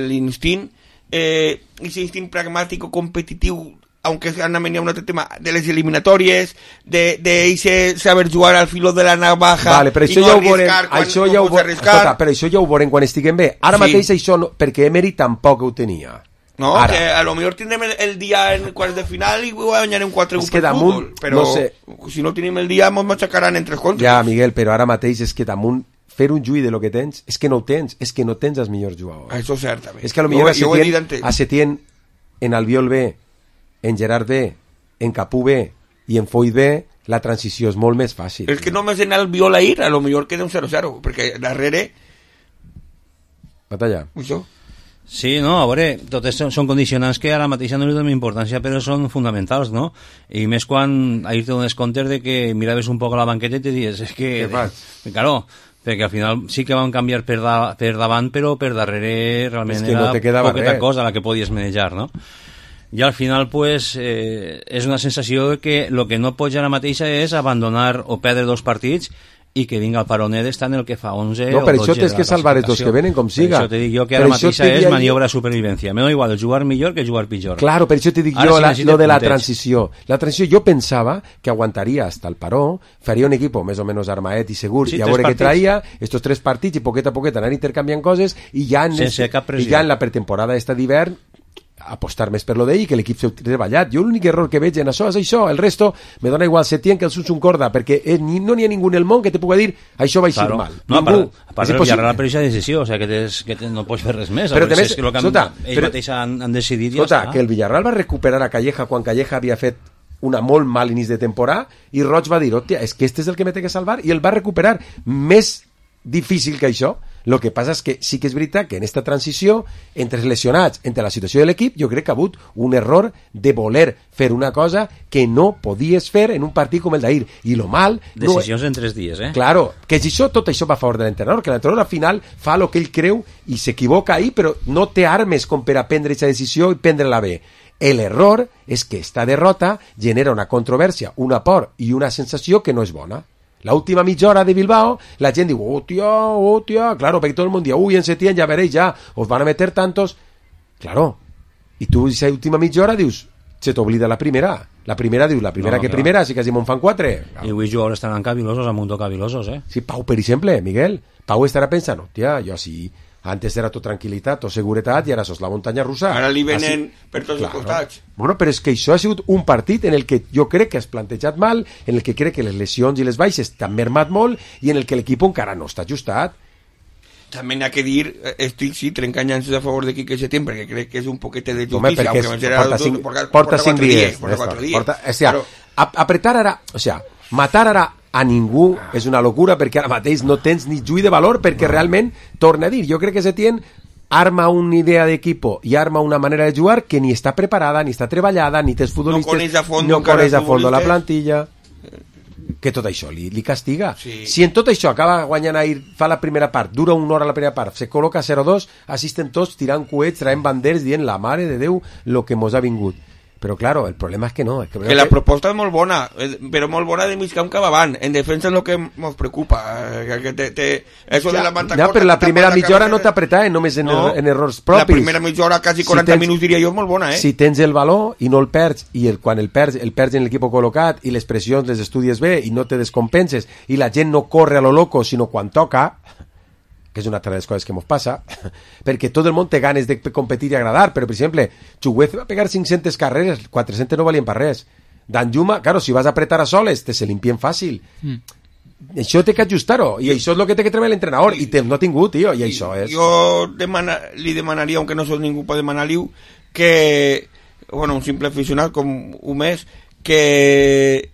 l'instint eh, ese instinct pragmático competitiu, aunque han venido un otro tema de las eliminatorias, de, de ese saber jugar al filo de la navaja, vale, però això i no ja arriscar quan això no ja pots arriscar. Escolta, però això ja ho veurem quan estiguem bé. Ara sí. Mateix això no, perquè Emery tampoc ho tenia. No, ara. Que a lo mejor tindrem el, el dia en quarts de final i guanyarem quatre és que damunt, futbol, però no sé. Si no tenim el dia ens matxacaran en tres contres. Ja, Miguel, però ara mateix és que damunt fer un juí de lo que tens, és que no ho tens, és que no tens els millors jugadors. Això és cert, també. És que a lo millor a Setién, a Setién, en Albiol B, en Gerard B, en Capú B i en Foyt B, la transició és molt més fàcil. És que només en Albiol a ir, a lo millor queda un zero zero, perquè darrere... Batalla. Això. Sí, no, a veure, totes són, són condicionants que ara mateix no li donen importància, però són fonamentals, no? I més quan ahir te dones compte de que miraves un poc a la banqueta i te dius, és que... Què fas? Claro, perquè al final sí que van canviar per, da, per davant, però per darrere realment que no era poqueta cosa la que podies manejar, no? I al final, pues, eh, és una sensació que el que no pots ara mateixa és abandonar o perdre dos partits i que vinga el paronet està en el que fa onze no, o per dotze això tens que salvar els dos que venen com siga. Per això te dic jo que ara mateixa és maniobra de supervivència. Me da igual jugar millor que jugar pitjor. Claro, per això te dic jo la, lo de la transició. La transició jo pensava que aguantaria hasta el paró, faria un equip més o menys armaet i segur, sí, i a veure què traia, estos tres partits i poquet a poquet anar intercanviant coses i ja en, sense cap pressió. I ja en la pretemporada esta d'hivern apostar més per lo d'ell i que l'equip s'ha treballat. Jo l'únic error que veig en això és això, el resto me dona igual Setién que el Suns un corda, perquè eh, ni, no n'hi ha ningú en el món que te puga dir això va eixir claro. mal. No, ningú. A part del Villarreal per aquesta decisió, o sea, que, tens, que tens, no pots fer res més. Però també, és que, que sota, ells però, mateix han, han decidit sota, ja està. Que el Villarreal va recuperar a Calleja quan Calleja havia fet una molt mal inici de temporada i Roig va dir, hòstia, és que este és el que me té que salvar, i el va recuperar. Més difícil que això El que passa és que sí que és veritat que en esta transició, entre els lesionats, entre la situació de l'equip, jo crec que ha hagut un error de voler fer una cosa que no podies fer en un partit com el d'ahir. I lo mal... Decisions no... en tres dies, eh? Claro, que si això, tot això va a favor de l'entrenador, que l'entrenador al final fa el que ell creu i s'equivoca ahir, però no té armes com per a prendre aquesta decisió i prendre-la bé. L'error és que esta derrota genera una controvèrsia, una por i una sensació que no és bona. La última mitja hora de Bilbao, la gent diu, oh tia, oh tia, claro, perquè tot el món diu, uy, en Setién ya veréis, ya, os van a meter tantos. Claro, i tu, esa última mitja hora, dius, se t'oblida la primera. La primera, dius, la primera No, que clar. primera, si quasi me'n fan quatre. I avui jugadors estaran cavilosos, a mundo cavilosos, eh? Sí, Pau, per exemple, Miguel, Pau estarà pensant, hòstia, jo sí, antes era tot tranquil·litat, tot seguretat, i ara sos la muntanya russa. Ara li venen Així- per tots els Claro. costats. Bueno, però és que això ha sigut un partit en el que jo crec que has plantejat mal, en el que crec que les lesions i les baixes t'han mermat molt i en el que l'equip encara no està ajustat. També n'ha que dir, eh, estic sí, trencant-se a favor de Quique Setién, perquè crec que és un poquete de Home, justícia, perquè aunque és, me serà porta, tot- cinc, porta- porta, porta cinc cuatro dies. días, porta ja cuatro està. días. Porta, o sea, Però- ap- apretar ara, o sea, matar ara a ningú és una locura perquè ara mateix no tens ni juí de valor perquè realment, torna a dir, jo crec que Setién arma una idea d'equipo i arma una manera de jugar que ni està preparada, ni està treballada, ni tens futbolistes, coneix a fondo no encara coneix a els fondo la futbolistes. plantilla, que tot això li, li castiga. Sí. Si en tot això acaba guanyant ahir, fa la primera part, dura una hora la primera part, se col·loca zero dos, assisten tots tirant coets, traient banderes, dient la mare de Déu lo que mos ha vingut. Però, claro, el problema és que no. És que, Que la proposta és molt bona, eh, però molt bona de mig camp cap avant. En defensa és el que ens preocupa. eh, Que te, te, eso Ja, de la banda ja, corta, però la tapar primera la mitja hora cabeza- no t'apretaven només en, No, er, en errors propis. La primera mitja hora, quasi quaranta tens- minuts, diria jo, és molt bona, eh? Si tens el valor i no el perds, i el, quan el perds, el perds en l'equip col·locat, i les pressions les estudies bé, i no te descompenses, i la gent no corre a lo loco, sinó quan toca, que és una altra de les coses que ens passa, perquè tot el món té ganes de competir i agradar, però, per exemple, Chuguez va pegar cinc-centes carreres, quatre-centes no valien per res. Danjuma, claro, si vas a apretar a soles, te se limpien fàcil. Mm. Això té que ajustar-ho, i això és el que té que treballar l'entrenador, i temps no ha tingut, tio, i això és... Jo demana, li demanaria, aunque no soc ningú per demanar-li, que, bueno, un simple aficionat com un mes, que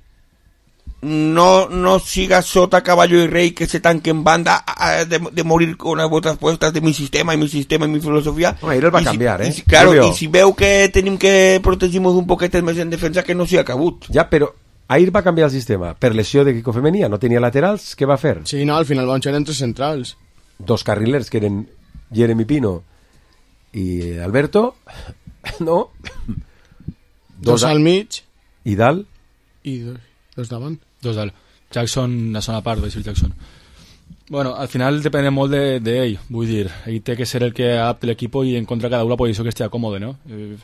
no, no siga sota caballo y rey, que se tanque en banda a- a- de, de morir con las botas puestas de mi sistema y mi sistema y mi filosofía. No, ahir el va I si- canviar, eh? i si, claro, Jo veo- i si veu que tenim que protegir-nos un poquet més en defensa, que no s'hi ha acabut. Ja, però ahir va canviar el sistema. Per lesió de Quico Femenia, no tenia laterals, què va fer? Sí, no, al final van ser entre centrals. Dos carrilers, que eren Jeremy Pino i Alberto, no? Dos al mig I dalt? i dos, dos davant. Dos dalt. Jackson, la zona part, Basil Jackson. Bueno, al final depèn molt d'ell, de, de vull dir, ell té que ser el que adapte l'equip i encontra cada una la posició que estigui còmode, no? Eh,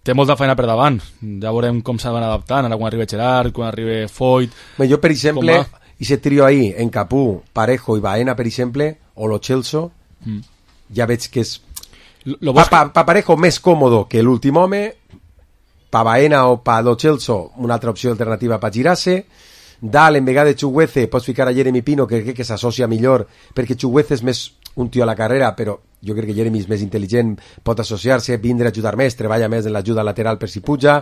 té molta feina per davant, ja veurem com s'han adaptant, ara quan arriba Gerard, quan arriba Foyt... Bé, jo, per exemple, com va. i se trio ahí, en Capú, Parejo i Baena, per exemple, o Lo Celso, Mm. ja veig que és... Lo, lo pa, bo és pa, pa Parejo més còmodo que l'últim home, pa Baena o pa Lo Celso, una altra opció alternativa pa girar-se, dalt, en vegada de Chuguece, pots ficar a Jeremy Pino, que crec que s'associa millor, perquè Chuguece és més un tio a la carrera, però jo crec que Jeremy és més intel·ligent, pot associar-se, vindre a ajudar més, treballa més en l'ajuda lateral per si puja,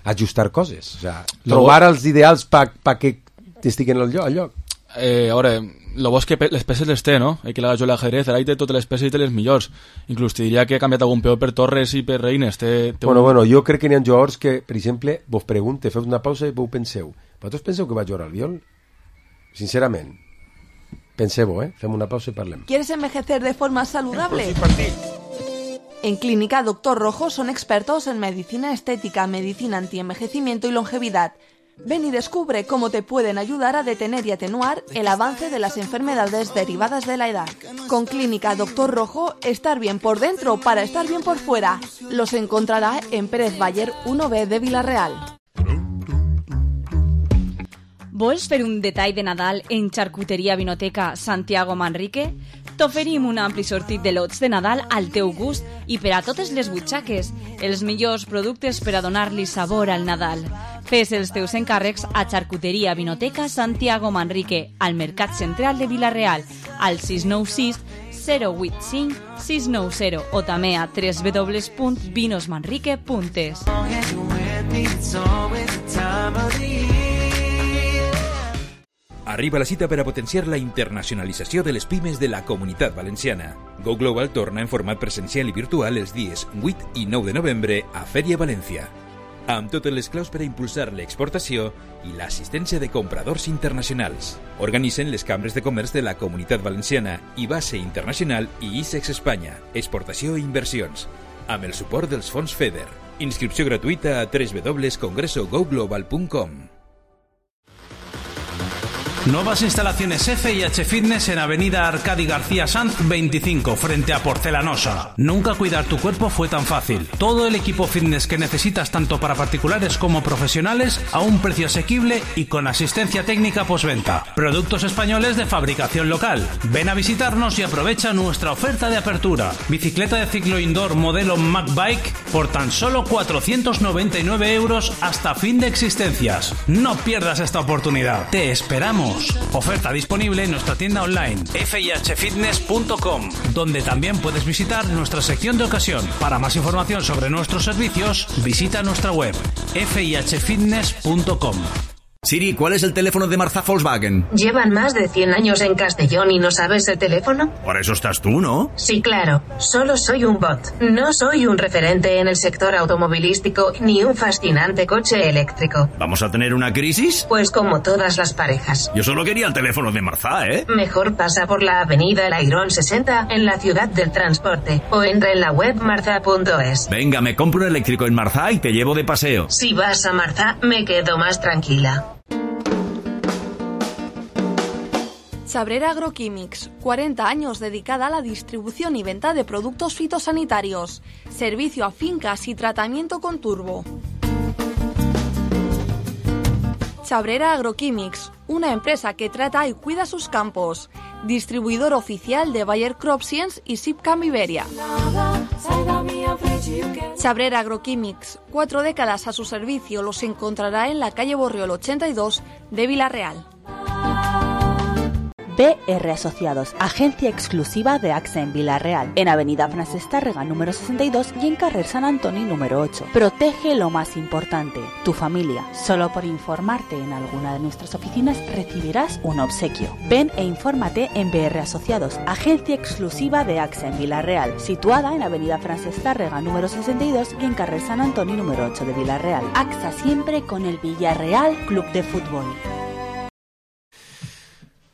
ajustar coses, o sea, Lo trobar els ideals pa, pa que estiguen al lloc. Al lloc. Eh, a veure, lo bo és que pe- les peces les té, no? Ell que l'ha jugat a l'ajedrez, ara ell té totes les peces i té les millors. Inclús te diria que ha canviat algun peó per Torres i per Reines. Té, té Bueno, un... bueno, jo crec que n'hi ha jugadors que, per exemple, vos pregunte, feu una pausa i vos penseu. Vosaltres penseu que va jugar al Biol? Sincerament. Penseu-ho, eh? Fem una pausa i parlem. ¿Quieres envejecer de forma saludable? En Clínica Doctor Rojo son expertos en medicina estética, medicina antienvejecimiento y longevidad. Ven y descubre cómo te pueden ayudar a detener y atenuar el avance de las enfermedades derivadas de la edad. Con Clínica Doctor Rojo, estar bien por dentro para estar bien por fuera. Los encontrará en Pérez Bayer uno B de Villarreal. Vols fer un detall de Nadal en Charcuteria Vinoteca Santiago Manrique? T'oferim un ampli sortit de lots de Nadal al teu gust i per a totes les butxaques, els millors productes per a donar-li sabor al Nadal. Fes els teus encàrrecs a Charcuteria Vinoteca Santiago Manrique, al Mercat Central de Vila-real, al sis nou sis zero vuit cinc sis nou zero o també a w w w punt vinos manrique punt es. Arriba la cita per a potenciar la internacionalització de les pimes de la Comunitat Valenciana. Go Global torna en format presencial i virtual els dies vuit i nou de novembre a Fèria València, amb totes les claus per a impulsar l'exportació i l'assistència de compradors internacionals. Organitzen les cambres de comerç de la Comunitat Valenciana i Base Internacional i ISEX Espanya, exportació i inversions, amb el suport dels fons FEDER. Inscripció gratuïta a doble u doble u doble u punt congreso go global punt com. Nuevas instalaciones F I H Fitness en Avenida Arcadi García Sanz veinticinco, frente a Porcelanosa. Nunca cuidar tu cuerpo fue tan fácil. Todo el equipo fitness que necesitas tanto para particulares como profesionales a un precio asequible y con asistencia técnica postventa. Productos españoles de fabricación local. Ven a visitarnos y aprovecha nuestra oferta de apertura. Bicicleta de ciclo indoor modelo Mac Bike por tan solo cuatrocientos noventa y nueve euros hasta fin de existencias. No pierdas esta oportunidad. Te esperamos. Oferta disponible en nuestra tienda online f i h fitness punto com, donde también puedes visitar nuestra sección de ocasión. Para más información sobre nuestros servicios, visita nuestra web f i h fitness punto com. Siri, ¿cuál es el teléfono de Marzá Volkswagen? ¿Llevan más de cien años en Castellón y no sabes el teléfono? Por eso estás tú, ¿no? Sí, claro. Solo soy un bot. No soy un referente en el sector automovilístico ni un fascinante coche eléctrico. ¿Vamos a tener una crisis? Pues como todas las parejas. Yo solo quería el teléfono de Marzá, ¿eh? Mejor pasa por la avenida El Airón sesenta en la ciudad del transporte o entra en la web marza punto es. Venga, me compro un eléctrico en Marzá y te llevo de paseo. Si vas a Marzá, me quedo más tranquila. Chabrera Agroquímics, cuarenta años dedicada a la distribución y venta de productos fitosanitarios, servicio a fincas y tratamiento con turbo. Chabrera Agroquímics, una empresa que trata y cuida sus campos, distribuidor oficial de Bayer Crop Science y Sipcam Iberia. Chabrera Agroquímics, cuatro décadas a su servicio, los encontrará en la calle Borriol ochenta y dos de Vilarreal. B R Asociados, agencia exclusiva de A X A en Vilarreal, en Avenida Francesc Tàrrega número sesenta y dos y en Carrer Sant Antoni número ocho. Protege lo más importante, tu familia. Solo por informarte en alguna de nuestras oficinas recibirás un obsequio. Ven e infórmate en B R Asociados, agencia exclusiva de A X A en Vilarreal, situada en Avenida Francesc Tàrrega número sesenta y dos y en Carrer Sant Antoni número ocho de Vilarreal. A X A siempre con el Villarreal Club de Fútbol.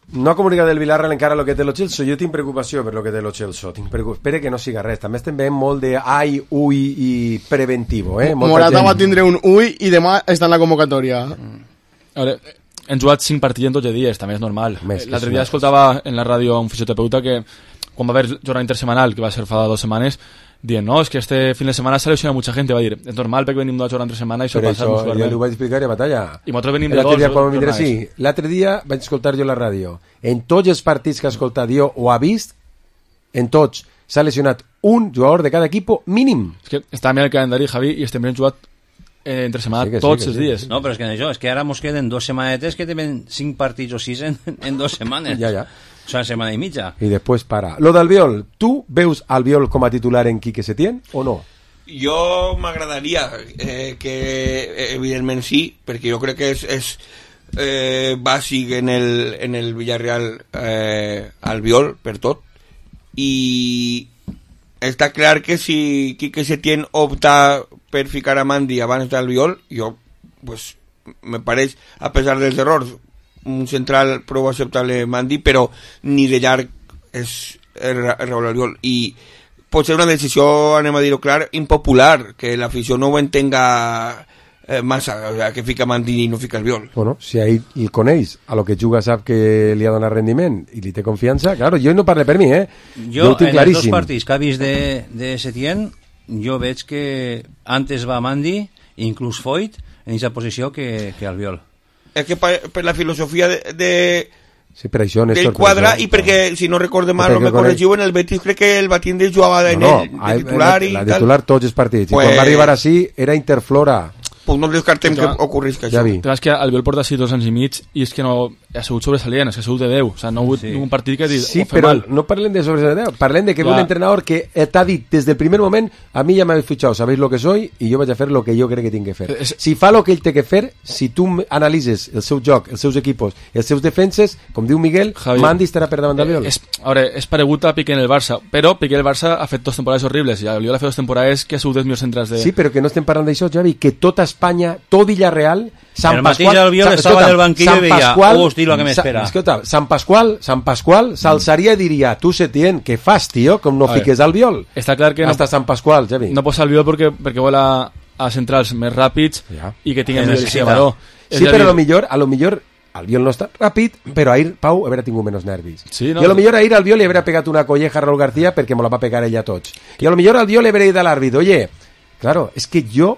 No ha comunicat el Vilarreal encara el que té lo Celso. Jo tinc preocupació per lo que té lo Celso. Tinc preocup... Espera que no siga res. També estem veient molt de ai, ui i preventivo. Eh? Morata va tindre un ui i demà està en la convocatòria. Mm. A veure, hem jugat cinc partits en dotze dies, també és normal. Més, l'altre dia escoltava en la ràdio un fisioterapeuta que quan va haver jornada intersemanal, que va ser fa dues setmanes, dient, no, es que este fin de semana se lesiona mucha gente, va dir, és normal perquè venim d'una jornada entre setmana i això però passa això ja ho vaig explicar a batalla i nosaltres venim de l'altre dos dia, quan vindré, jornades. sí, l'altre dia vaig escoltar jo la ràdio, en tots els partits que ha escoltat jo o ha vist, en tots s'ha lesionat un jugador de cada equip mínim. És que està mirant el calendari, Javi, i estem ben jugat eh, entre setmana sí tots sí, els sí. dies. No, però és que això, és que ara mos queden dos setmanetes que tenen cinc partits o sis en, en dos setmanes. Ja, ja. O sea, setmana i mitja. I després para. Lo d'Albiol, tu veus Albiol com a titular en Quique Setién o no? Jo m'agradaria eh, que evidentment sí, perquè jo crec que és, és eh, bàsic en el, en el Villarreal eh, Albiol per tot, i està clar que si Quique Setién opta per ficar a Mandi abans d'Albiol, jo pues, me pareix, a pesar dels errors, un central prou acceptable Mandi, però ni de llarg és el Raúl Albiol, i pot ser una decisió, anem a dir-ho clar, impopular, que l'afició no ho entenga eh, massa, o sea, que fica Mandi i no fica Albiol. Bueno, si ahí el coneix, a lo que juga sap que li ha donat rendiment i li té confiança, claro, jo no parle per mi, eh? Jo, jo en els dos partits que ha vist de, de Setién, jo veig que antes va Mandi, inclús Foyt, en aquesta posició que, que Albiol. És que per, per la filosofia de, de sí, per això, del quadre, i perquè, si no recorde mal, o me corregiu, en el Betis crec que el Batinde jugava en no, no, el de titular la, i la tal. titular tots els partits, pues, i quan va arribar així era Interflora. Pues no descartem que ocorrisca això. Ja és que Albiol porta així dos anys i mig i és que no, ha sigut sobresalient, és que ha sigut de deu. O sigui, no ha hagut sí. un partit que dit, Sí, ho fem però mal. no parlen de sobresalient, parlen de que ve Ja. un entrenador que t'ha dit desde el primer moment, a mí ya me habéis fichado, sabéis lo que soy y yo vaig a fer lo que yo crec que tinc que fer. Es- Si fa lo que ell té que fer, si tu analitzes el seu joc, els seus equipos, els seus defenses, com diu Miguel, Javi, Mandi estarà per davant d'Albiol. Eh, és, a veure, és paregut a Piqué en el Barça, però Piqué en el Barça ha fet dos temporades horribles i Albiol ha fet dos temporades que ha sigut dels millors centrals de... Sí, però que no estem parlant d'això, Javi, que tota Espanya, tot Villarreal, Sant El mateix Pasqual... Albiol Sa- estava escolta, del banquillo Sant i veia, Pasqual- "Hosti, lo que m'espera". Sa- Escolta, Sant Pasqual, Sant Pasqual s'alçaria i diria, tu Setién, què fas, tio, com no A veure, fiques Albiol? Està clar que no- Hasta Sant Pasqual, Javi. No posa Albiol perquè, perquè vol a, a centrals més ràpids Ja. i que tinguin Que millor necessita. valor. Sí, però a lo millor, a lo millor Albiol no està ràpid, però ahir Pau haurà tingut menys nervis. Sí, no? I a lo millor ahir Albiol li haurà pegat una colleja a Raúl García perquè me la va pegar ella a tots. I a lo millor Albiol li haurà dit a l'àrbit, oye, claro, es que yo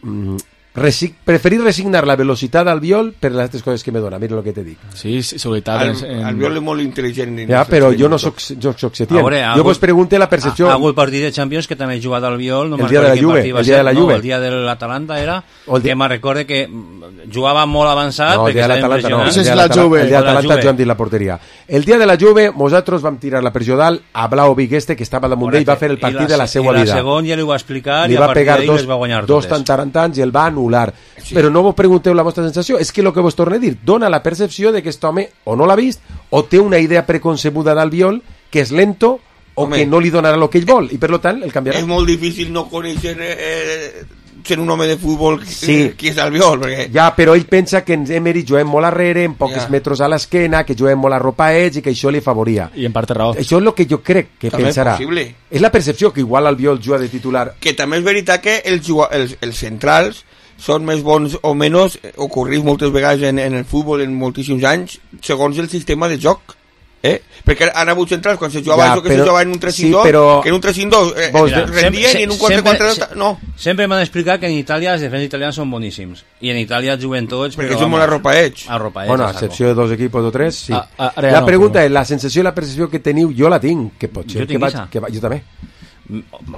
mm, resi preferir resignar la velocitat d'Albiol per les altres coses que me dona, mira lo que te dic. Sí, sí, seguretat. El, en... Albiol és molt intel·ligent. Ja, però jo no soc, jo soc Setién. Veure, ha Jo hagut- vos pregunte la percepció... Ha, ha hagut partit de Champions que també ha jugat al Viol. No El me'n dia de la recordo quin Juve, partit va el dia ser. de la No, Juve. el dia de l'Atalanta era, O el dia- que me'n recorde que mm, jugava molt avançat No, el perquè dia de estava l'Atalanta no. impressionant. El dia de l'Atalanta- el dia de l'Atalanta jo hem dit la porteria. El dia de la Juve, nosaltres vam tirar la pressió dalt a Vlahovic este, que estava damunt d'ell, va fer el I partit la- de la seva I la vida. segon ja li ho va explicar Li i a va partir pegar d'ahí dos, les va guanyar dos totes. tantarantans i el va anul·lar. Sí. Però no vos pregunteu la vostra sensació, és que el que vos torno a dir, dona la percepció de que aquest home o no l'ha vist o té una idea preconcebuda d'Albiol que és lento o Home. que no li donarà el que ell vol i per lo tant el canviarà. És molt difícil no conèixer eh, ser un home de futbol Sí. qui és Albiol, perquè... Ja, però ell pensa que en Emery juguem molt arrere, en pocs Ja. metres a l'esquena, que juguem molt arropats i que això li favoria. I en part té raó. Això és el que jo crec que També és pensarà. possible. És la percepció que igual Albiol juga de titular. Que també és veritat que els, juga- els, els centrals són més bons o menys, eh, ocorreix moltes vegades en, en el futbol en moltíssims anys, segons el sistema de joc. Eh? Perquè han hagut centrals quan se jugava Ja, això que però- se jugava en un tres cinc dos, sí, però- que en un tres cinc dos eh, Vos eh, de- rendien i en un quatre quatre dos sempre, no. Sempre m'han explicat que en Itàlia els defenses italians són boníssims. I en Itàlia juguen tots... Perquè però, són molt vamos, arropaets. Arropaets, Bueno, a a saco. excepció de dos equipos o tres, sí. Ah, ah, ara ja la no, pregunta però- és, la sensació i la percepció que teniu, jo la tinc, que pot ser Jo que tinc vaig, esa. que va, jo també.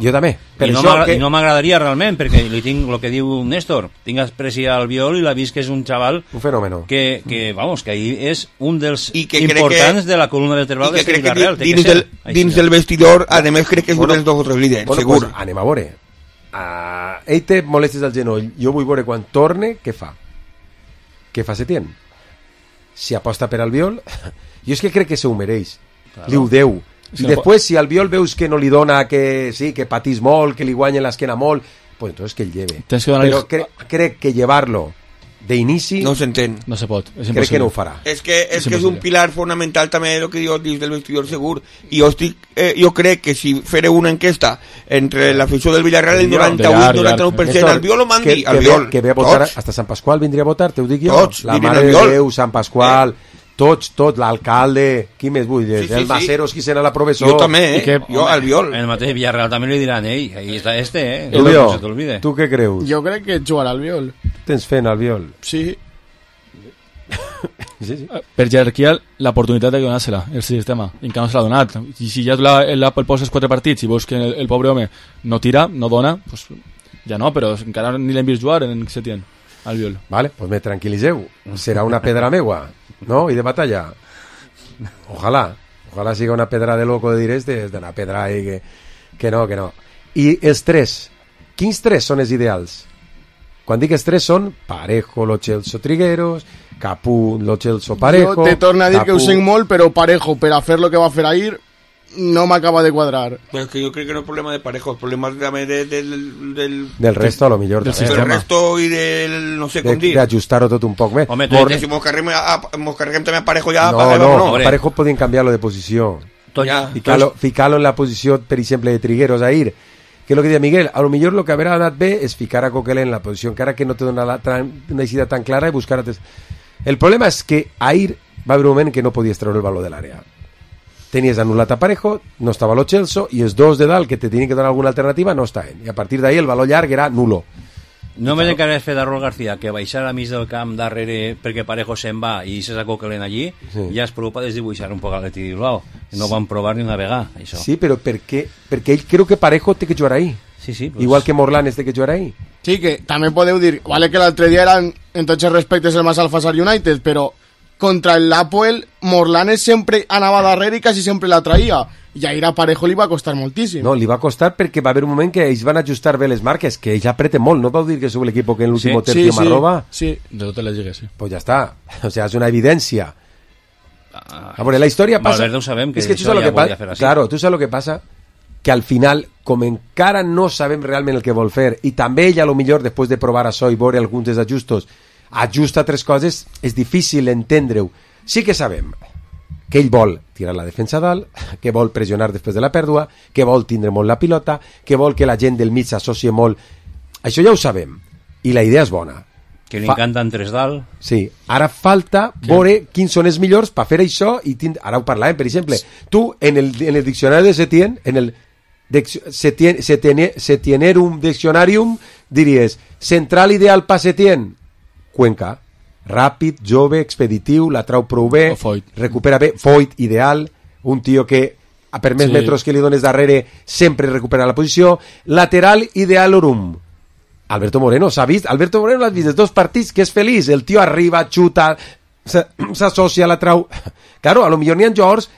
Jo també. Per I no, això m'agra- que... i no m'agradaria realment, perquè li tinc el que diu Néstor, tinc aprecia al Viol i l'ha vist que és un xaval Un fenòmeno. que, que vamos, que ahí és un dels I que crec importants que- de la columna I vertebral que d'este crec que Villarreal. té que dins, ser. del, Així dins és. del vestidor, a més crec que és un Bueno, dels dos o tres líders, Bueno, segur. pues, anem a veure. Uh, ell té molèsties al genoll. Jo vull veure quan torne, què fa? Què fa Setién? Si aposta per Albiol, jo és que crec que se ho mereix. Claro. Li ho deu. Sí, I després, si Albiol veus que no li dona, que sí, que patís molt, que li guanya l'esquena molt, pues entonces que el lleve. Tens que donar-li- Però cre crec que llevar-lo d'inici... No s'entén. No se pot, és Crec impossible. que no ho farà. És que és, És que és un impossible. pilar fonamental també el que diu dins del vestidor segur i jo, estic, eh, jo crec que si faré una enquesta entre l'afició del Villarreal el noranta-vuit noranta-nou per cent Néstor, Albiol o Mandi que, que, Albiol ve, que ve a votar, tots. hasta Sant Pasqual vindria a votar, t'ho dic jo. Tots la dirien Mare de Albiol. Déu, Sant Pasqual, eh? tots, tots, l'alcalde, qui més vull dir? Sí, sí, el sí. Maceros, qui serà la professor. Jo també, eh? I que, jo Albiol En el mateix Villarreal també li diran, ei, ahí està este, eh? Julio, no se t'olvide. tu què creus? Jo crec que jugarà al Viol. Tens fe en Albiol? Sí. Sí, sí. Per jerarquia, l'oportunitat de donar-se-la, el sistema, i encara no se l'ha donat. I si ja la, la, el poses quatre partits i veus que el, el pobre home no tira, no dona, pues, ja no, però encara ni l'hem vist jugar en Setién, al Viol. Vale, pues me tranquil·liseu. Serà una pedra meua, no? I de batalla. Ojalà. Ojalà siga una pedra de loco de dir este, és una pedra ahí que, que no, que no. I els tres, quins tres són els ideals? Quan dic els tres són Parejo, Lo Celso, Trigueros, Capú, Lo Celso, Parejo... Jo te torno a dir que ho Capú. sent molt, però Parejo, per a fer lo que va fer ahir, no m'acaba de quadrar. Pero es que yo creo que no es problema de Parejo, el problema es de, de, del, del, Del resto, a lo millor. del, també. del resto y del, no sé De- com dir. D'ajustar-ho tot un poc més. Home, tu Mor- entes- Si mos carguem, a, mos carguem també a Parejo ja, No, paguem, no, no. a Parejo podien canviar-lo de posició. Tot, Ja. Ficar-lo ficar en la posició, per exemple, de Trigueros ahir. Que és el que deia Miguel, a lo millor lo que haurà anat bé és ficar a Coquelin en la posició, encara que no te dona la, tan, una idea tan clara i buscar... altres- El problema és que ahir va haver un moment que no podies treure el valor de l'àrea. Tenies anul·lat a Parejo, no estava Lo Celso, i els dos de dalt que te tenien que donar alguna alternativa no estaven. I a partir d'ahir el valor llarg era nulo. No me n'encarregues fer de Raúl García que baixar a mig del camp darrere perquè Parejo se'n va i se sacó Coquelin allí, Sí. ja es preocupa de desdibuixar un poc a l'Atleti Bilbao. No van provar ni una vegada, això. Sí, però per què? Perquè ell creu que Parejo té que jugar ahí. Sí, sí, pues... Igual que Morlanes té que jugar ahí. Sí, que també podeu dir, vale que l'altre dia eren, en tots els respectes, el més Alfasar United, però contra el Apoel, Morlanes sempre anava darrere i quasi sempre la traïa. I a ir a Parejo li va costar moltíssim. No, li va costar perquè va haver un moment que ells van ajustar bé les marques, que ells apreten molt. No vau dir que sou l'equip que en l'últim Sí, tercio sí, me sí. roba? Sí, de totes les lligues, sí. Pues ja està. O sea, és una evidència. A veure, la història passa... Valverde ho sabem, que és que tu això saps lo ja que passa. volia fer així. Claro, tu saps lo que passa? Que al final, com encara no sabem realment el que vol fer, i també ell, a lo millor, després de provar això i veure alguns dels ajustos, ajusta tres coses, és difícil entendre-ho. Sí que sabem que ell vol tirar la defensa a dalt, que vol pressionar després de la pèrdua, que vol tindre molt la pilota, que vol que la gent del mig s'associe molt. Això ja ho sabem, i la idea és bona. Que li Fa- encanten tres dalt. Sí, ara falta veure quins són els millors per fer això i tind... ara ho parlàvem, per exemple, tu en el, en el diccionari de Setién, en el dic- Setien, Setien, Setienerum Dictionarium, diries central ideal per Setién, Cuenca, ràpid, jove, expeditiu, la trau prou bé, recupera bé, Foyt, ideal, un tio que a per més Sí. metres que li dones darrere sempre recupera la posició, lateral idealorum, Alberto Moreno, s'ha vist? Alberto Moreno l'has vist els dos partits, que és feliç, el tio arriba, xuta, se- s'associa, la trau... Claro, a lo millor n'hi ha jugadors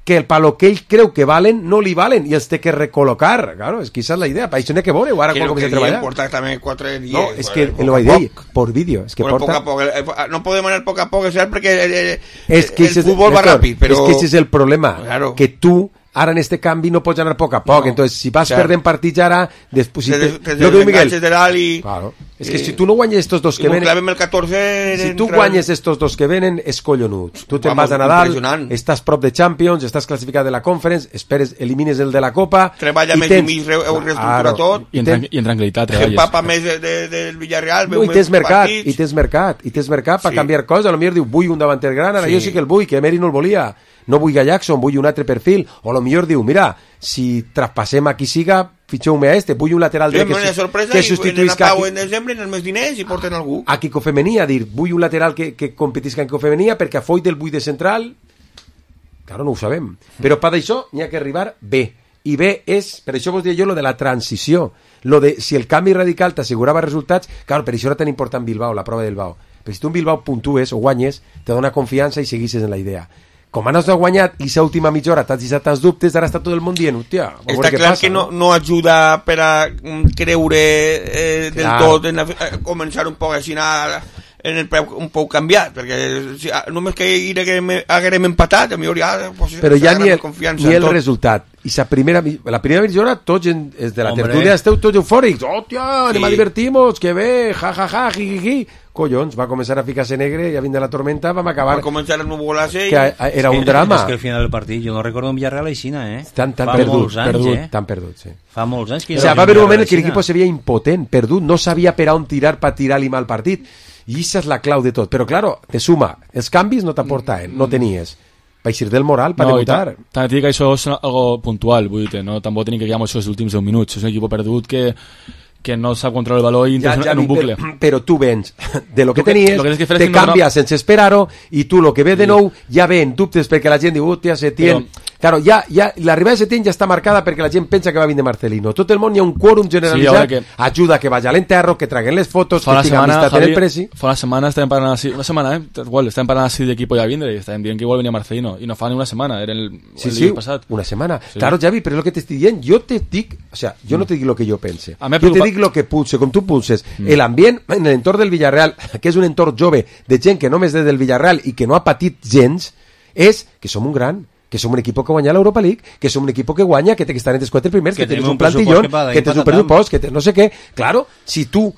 que el palo que ell creu que valen no li valen i els té que recol·locar. Claro, és que esa és la idea, per això n'hi ha que veure ara Que quan lo que comença a diem treballar. portar també quatre dies. No, és que poc lo a vaig dir, poc. por vídeo, és que Bueno, porta... poc a poc, eh, no podem anar poc a poc, és cert, perquè eh, És que el ese es- futbol va Néstor, ràpid, però... és que ese és el problema, Claro. que tu ara en este canvi no pots anar a poc a poc, No, entonces si vas cert. perdent partits ara després si Te te, des- te lo que diu Miguel, desenganxes de dalt i... claro, és que i- si tu no guanyes estos dos i que molt venen, clavem el catorze... si tu entra- guanyes estos dos que venen és collonut, tu te'n Vamos, vas a Nadal, impressionant. estàs prop de Champions, estàs classificat de la Conference, esperes, elimines el de la Copa, Treballa i més tens- i mig, re- ho reestructura Claro, tot. I en, tran i en tranquil·litat Que treballes. empapa més de, de, del Villarreal, No, veu i tens més mercat, partits. i tens mercat, i tens mercat per Sí. canviar coses. A lo millor diu, vull un davanter gran, ara Sí. jo sí que el vull, que Emery no el volia. No vull a Jackson, vull un altre perfil. O a lo millor diu, mira, si traspassem a qui siga, fitxeu-me a este, vull un lateral Sí, dret que, una su- sorpresa que i substituïsca en a, Pau qui- en desembre, en els més diners, i porten algú. a Kiko Femení, a dir, vull un lateral que, que competisca en Kiko Femení, perquè a Foyt el vull de central. Claro, no ho sabem. Però per això n'hi ha que arribar bé. I bé és, per això vos diria jo, lo de la transició. Lo de, si el canvi radical t'assegurava resultats, claro, per això era tan important Bilbao, la prova del Bilbao. Però si tu en Bilbao puntues o guanyes, te dona confiança i seguisses en la idea. Com ara no has guanyat i sa última mitja hora t'has deixat tants dubtes, ara està tot el món dient, hòstia, a veure Està què clar passa, que no, no ajuda per a mm, creure eh, del Clar. tot en la, eh, començar un poc així a, en el peu un poc canviat, perquè si, ah, només que haguem, haguem empatat, a mi ja... Pues, però ja ni el, confiança ni en el tot. resultat i la primera, mi- la primera mitja hora tots en, és de la Hombre. tertúlia esteu tots eufòrics, hòstia, anem Sí. a divertir-nos, que bé, ja, ja, ja, ji, ji, ji. Collons, va començar a ficar-se negre, ja vindre la tormenta, vam acabar Va començar a nuvolar-se que a- a- era un drama. És que al final del partit, jo no recordo un Villarreal aixina, eh? Tan, tan Fa perdut, molts anys, perdut, eh? tan perdut, sí. Fa molts anys que... O sea, va haver un moment en què l'equip se veia impotent, perdut, no sabia per on tirar per tirar-li mal partit. I això és la clau de tot. Però, claro, te suma. Els canvis no t'aportaven, no tenies. Per eixir del moral, per No, i debutar. ta- també et dic que això és algo puntual, vull dir, no? Tampoc tenim que quedar això els últims deu minuts. És un equip perdut que, que no sap controlar el valor i Ja, entra ja, en un bucle. Però, però tu vens de lo que Lo que- tenies, lo que tens que fer és te tindre una- canvies sense esperar-ho, i tu lo que ve de nou ja ve en dubtes perquè la gent diu, hòstia, Setién... Però- Claro, ja, ja, l'arribada de Setién ja està marcada perquè la gent pensa que va vindre Marcelino. Tot el món hi ha un quòrum generalitzat, Sí, que- ajuda que vagi a l'enterro, que traguen les fotos, Fa que una tinga setmana, amistat en Javi, el presi. fa una setmana estàvem parlant així, una setmana, eh? Igual, estàvem parlant així d'equip ja vindre i estàvem dient que igual venia Marcelino i no fa ni una setmana, era el, Sí, el sí, dia passat. una setmana. Sí. Claro, Javi, però és el que t'estic dient. Jo te dic, o sea, jo no te dic el que jo pense. A mi Jo te preocupa- dic el que pulse, com tu pulses. Mm. L'ambient en l'entorn del Villarreal, que és un entorn jove, de gent que només és del Villarreal i que no ha patit gens, és que som un gran, que som un equip que guanya l'Europa League, que som un equip que guanya, que té que estar entre els quatre primers, que, Que tens tenim un un pressupost plantillón, que va d'ahí que tens un patatam. pressupost, que tens no sé què. Claro, si tu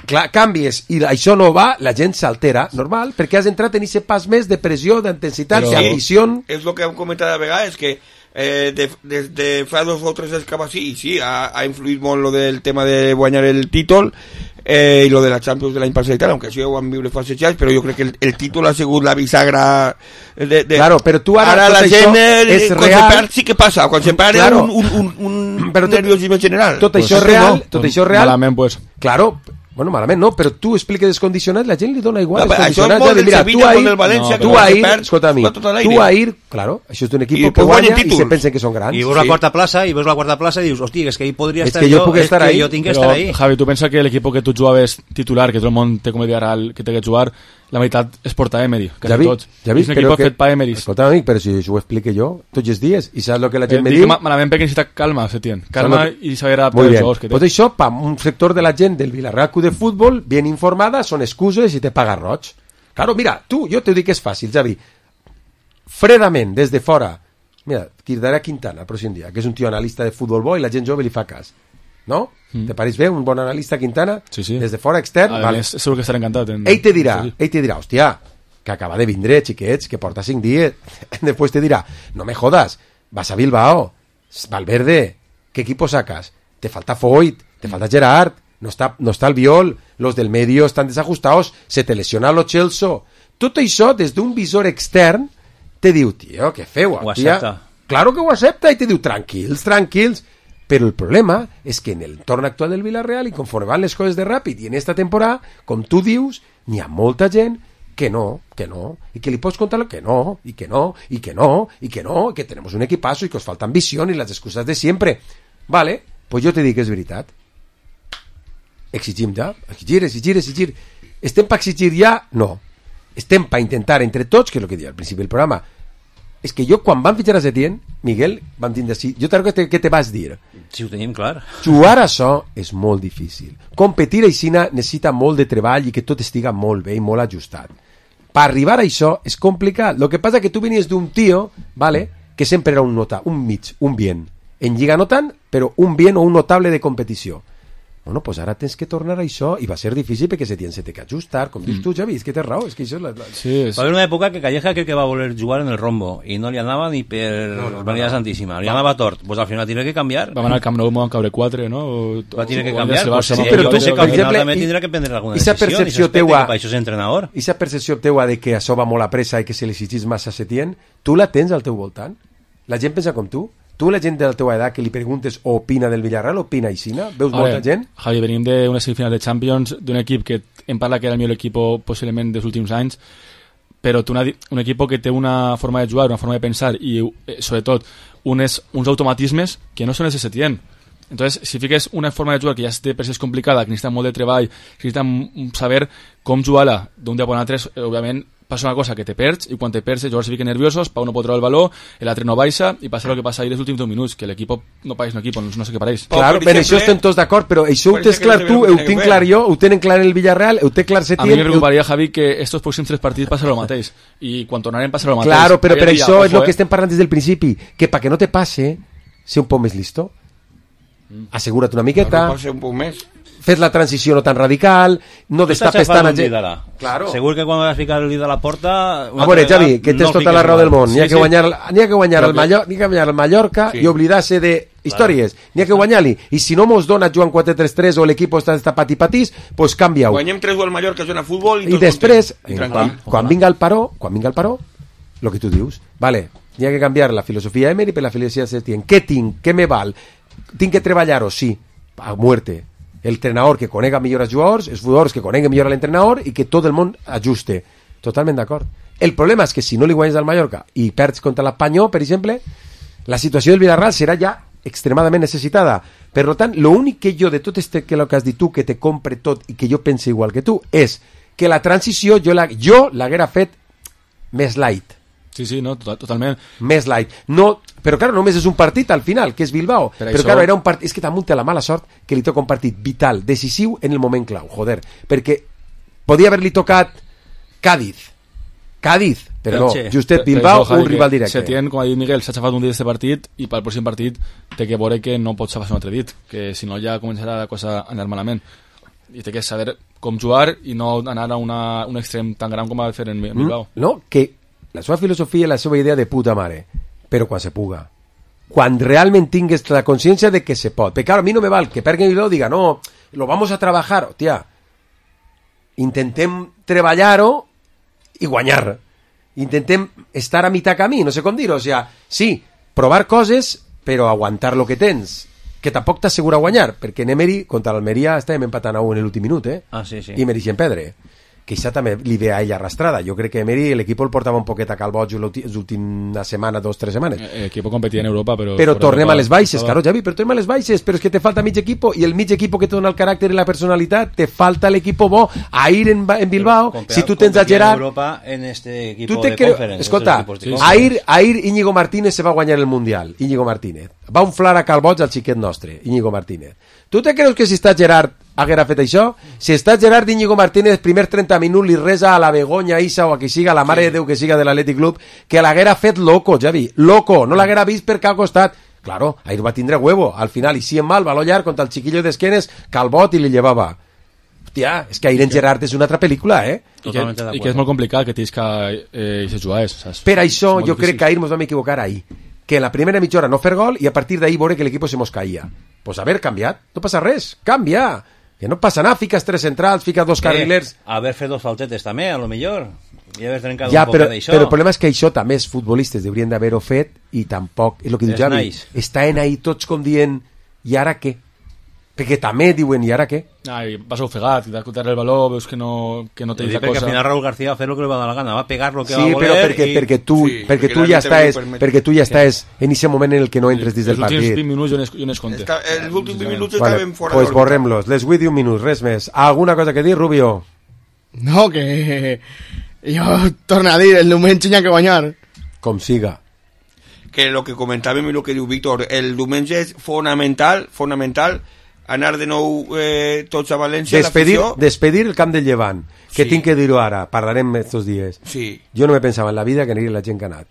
clar, canvies i això no va, la gent s'altera, normal, perquè has entrat en aquest pas més de pressió, d'intensitat, Sí, d'ambició. és el que hem comentat a vegades, que eh, des de, de fa dos o tres anys cap així, i sí, ha, ha influït molt lo del tema de guanyar el títol eh, i lo de la Champions de l'any passat i tal, aunque això ja ho vam viure fa setze anys, però jo crec que el, el títol ha sigut la bisagra de, de... Claro, però tu ara, ara tot la això gent eh, és quan real. se perd sí que passa, quan se perd Claro. un, un, un, un Però tot- nerviosisme general. Tot Pues això és sí, real, no? tot això és real. Malament, pues. Claro, Bueno, malament no, però tu expliques els condicionats, la gent li dona igual No, els però això és condicionats. molt Ja de, del mira, Sevilla tu ahir, con el València, tu que ahir, perd, escolta a mi, va tot a l'aire. tu ahir, claro, això és un equip I que pues guanya guanyen i se títols. pensen que són grans. I veus la quarta plaça, i veus la quarta plaça i dius, hòstia, és que ahí podria És estar que jo jo, puc és estar que ahí. jo tinc que Però, estar ahí. Javi, tu pensa que l'equip que tu jugaves titular, que tot el món té com a ideal que té que jugar, la meitat és portar Emery, quasi Ja vi, tots. ja vi, és un però equip que... fet pa Emery. Escolta, amic, però si això ho explique jo tots els dies, i saps el que la gent Eh, me dic diu? ma- malament perquè necessita calma, Setién. Calma Saps lo que- i saber adaptar Muy els bien. jugadors que té. Pues això, pa un sector de la gent del Villarreal Club de Fútbol, bien informada, són excuses i te paga roig. Claro, mira, tu, jo te dic que és fàcil, Javi. Fredament, des de fora, mira, cridaré Quintana el pròxim dia, que és un tio analista de futbol bo i la gent jove li fa cas. No? Mm. Te pareix bé un bon analista Quintana? Sí, sí. Des de fora, extern? A Vale. més, segur que estarà encantat. En... Ell te dirà, Sí, sí. ell te dirà, hòstia, que acaba de vindre, xiquets, que porta cinc dies. Después te dirà, no me jodas, vas a Bilbao, Valverde, ¿qué equipo sacas? Te falta Foyt, te falta Gerard, no está, no está el Viol, los del medio están desajustados, se te lesiona lo Chelsea. Tot això, des d'un visor extern, te diu, tio, què feu? Ho tia? accepta. Claro que ho accepta, i te diu, tranquils, tranquils. Pero el problema es que en el entorn actual del Villarreal i conforme van les coses de ràpid i en esta temporada, com tu dius, n'hi ha molta gent que no, que no, i que li pots contar que no, i que no, i que no, i que no, i que tenemos un equipazo i que os falta ambició i les excusas de siempre. Vale, pues jo te dic que és veritat. Exigim ja, exigir, exigir, exigir. Estem per exigir ja? No. Estem per intentar entre tots, que és el que deia al principi del programa, és que jo quan van fitxar a Setién, Miguel, vam tindre així, jo t'arribo que te, que te vas dir, Si ho tenim clar. jugar a això és molt difícil. Competir aixina necessita molt de treball i que tot estiga molt bé i molt ajustat. Per arribar a això és complicat. Lo que passa que tu venies d'un tio, vale, que sempre era un nota, un mig, un bien. En Lliga no tant, però un bien o un notable de competició. Bueno, pues ara tens que tornar a això i va ser difícil perquè se tens que ajustar, com dius tu, Javi, és que tens raó, és que això és la... la... Sí, és... Va haver una època que Calleja crec que va voler jugar en el rombo i no li anava ni per No, no, no, Maria no. Santíssima, li anava tort. Pues al final tiene que canviar. Vam anar al Camp Nou i m'ho van caure quatre, no? O, Va tiene que o canviar. el Pues Barça, sí, no? però jo tu, sé que per al final exemple, també i- tindrà que prendre alguna esa decisió. percepció i s'aspecte teua- que per això és entrenador. Esa percepció teua de que això va molt a pressa i que se li exigís massa a Setién, tu la tens al teu voltant? La gent pensa com tu? Tu, la gent de la teva edat que li preguntes o opina del Villarreal, opina aixina? Veus A molta ver, gent? Javi, venim d'una semifinal de Champions, d'un equip que em parla que era el millor equip possiblement dels últims anys, però té una, di- un equip que té una forma de jugar, una forma de pensar i, eh, sobretot, unes, uns automatismes que no són els de Setién. Entonces, si fiques una forma de jugar que ja té per si és complicada, que necessita molt de treball, que necessita mm, saber com jugar-la d'un dia per un altre, eh, òbviament, passa una cosa que te perds, i quan te perds els jugadors se fiquen nerviosos, Pau no pot treure el valor, l'altre no baixa, i passa el que passa ahir els últims dos minuts, que l'equip no pareix un equip, no, no sé què pareix. Claro, per això estem tots d'acord, però això ho per tens exemple, clar tu, que ho no tinc té clar que jo, ho tenen clar el Villarreal, ho té clar A mi Setién... me preocuparia, Javi, que estos pròxims tres partits passarà el mateix, i quan tornarem passarà el mateix. Claro, però per Aquell dia, això és ojo, el que eh? estem parlant des del principi, que para que no te pase, sé un poc més listo, assegura't una miqueta, Pot ser un poc més. fes la transició no tan radical, no destapes tant a gent... Claro. Segur que quan vas ficar el dit a la porta... A veure, Javi, que tens tota la raó del món. N'hi ha que guanyar, n'hi ha que guanyar el Mallorca, n'hi ha que guanyar el Mallorca Sí. i oblidar-se de històries. N'hi ha que guanyar-li. I si no mos dona Joan quatre tres tres o l'equip està destapat i patís, pues canvia-ho. Guanyem tres o el Mallorca, juega a futbol i, I tot després, content. I eh, tranquil. quan, quan vinga el paró, quan vinga el paró, lo que tu dius, vale, n'hi ha que canviar la filosofia Emery per la filosofia Setién. Què tinc? Què me val? Tinc que treballar-ho? Sí, a muerte. El entrenador que conega millor els jugadors, els jugadors que coneguen millor l'entrenador i que tot el món ajuste. Totalment d'acord. El problema és que si no li guanyes al Mallorca i perds contra l'Espanyol, per exemple, la situació del Villarreal serà ja extremadament necessitada. Per tant, l'únic que jo de tot este que lo que has dit tu, que te compre tot i que jo pense igual que tu, és que la transició jo la, jo l'haguera fet més light. Sí, sí, no, total, totalment. Més light. No, però claro, només és un partit al final, que és Bilbao. Per Però això- claro, era un partit... És que damunt té la mala sort que li toca un partit vital, decisiu en el moment clau, joder. Perquè podia haver-li tocat Cádiz. Cádiz, però no, justet Bilbao, un rival directe. Setién, com ha dit Miguel, s'ha xafat un dit d'aquest partit i pel pròxim partit té que veure que no pot xafar un altre dit, que si no ja començarà la cosa a anar malament. I té que saber com jugar i no anar a una, un extrem tan gran com ha de fer en Bilbao. Mm, no, que la seva filosofia i la seva idea de puta mare, però quan se puga. Quan realment tingues la consciència de que se pot. Perquè claro, a mi no me val que Pergen Bilbao diga, no, lo vamos a trabajar. Hòstia, intentem treballar-ho i guanyar. Intentem estar a mitjà camí, no sé com dir-ho. O sea, sí, provar coses, però aguantar lo que tens. que tampoc t'assegura guanyar, perquè en Emery contra l'Almeria estàvem empatant a un en l'últim minut, eh? Ah, sí, sí. I mereixen perdre. Que això també li ve a ella arrastrada. Jo crec que Emery l'equip el portava un poquet a calboig les últimes setmanes, dos, tres setmanes. L'equip competia en Europa, però... Però tornem Europa, a les baixes, estava... claro, Javi, però tornem a les baixes, però és que te falta mig equipo, i el mig equipo que te dona el caràcter i la personalitat, te falta l'equipo bo. A ir en, en Bilbao, Compea, si tu tens a Gerard... en Europa en este equipo tu te de creu... conference. Escolta, Sí, a ir, a ir Íñigo Martínez se va guanyar el Mundial, Íñigo Martínez. Va unflar a calboig al xiquet nostre, Íñigo Martínez. Tu te creus que si està Gerard haguera fet això? Si està Gerard Íñigo Martínez, primer trenta minuts li resa a la Begoña, Isa o a qui siga, a la mare sí. de Déu que siga de l'Atlètic Club, que l'haguera fet loco, Javi, loco, no l'haguera vist per cap costat. Claro, ahir va tindre huevo, al final, i si en mal, baló llarg contra el xiquillo d'esquenes, calbot i li llevava. Hòstia, és que ahir en Gerard és una altra pel·lícula, eh? I que, i que és molt complicat que tens que eh, se jugar, saps? Per això jo difícil. crec que ahir ens vam equivocar ahir, que en la primera mitja hora no fer gol i a partir d'ahir veure que l'equip se mos caïa. Pues haver canviat, no passa res, canvia, que no passa nada, fiques tres centrals, fiques dos carrilers... Eh, haver fet dos faltetes també, a lo millor, i haver trencat ja, un però, poc d'això. però el problema és que això també els futbolistes haurien d'haver-ho fet i tampoc, és el que diu És Javi, nice. estaven ahí tots com dient i ara què? Perquè també diuen i ara què? Ai, vas ofegat, te das cuenta el valor, veus que no, que no te dice Perquè cosa. al final Raúl García va fer lo que li va dar la gana, va pegar lo que Sí, va voler... però perquè, i... perquè tu, Sí, perquè perquè tu la ja neta li estàs, permet. perquè tu ja estàs en aquest moment en el que no entres dins del Els últims partit. vint minuts jo no es, jo no es compte. Està, els últims vint minuts Vale, estaven fora pues d'òrbita. borrem-los, les vull dir un minut, res més. Alguna cosa que dir, Rubio? No, que... Jo torno a dir, el diumenge hi ha que guanyar. Com siga. Que lo que comentàvem i lo que diu Víctor, el diumenge és fonamental, fonamental, anar de nou eh, tots a València, Despedir, l'afició. despedir el camp del Llevant, que Sí. tinc que dir-ho ara, parlarem estos dies. Sí. Jo no me pensava en la vida que aniria la gent que ha anat.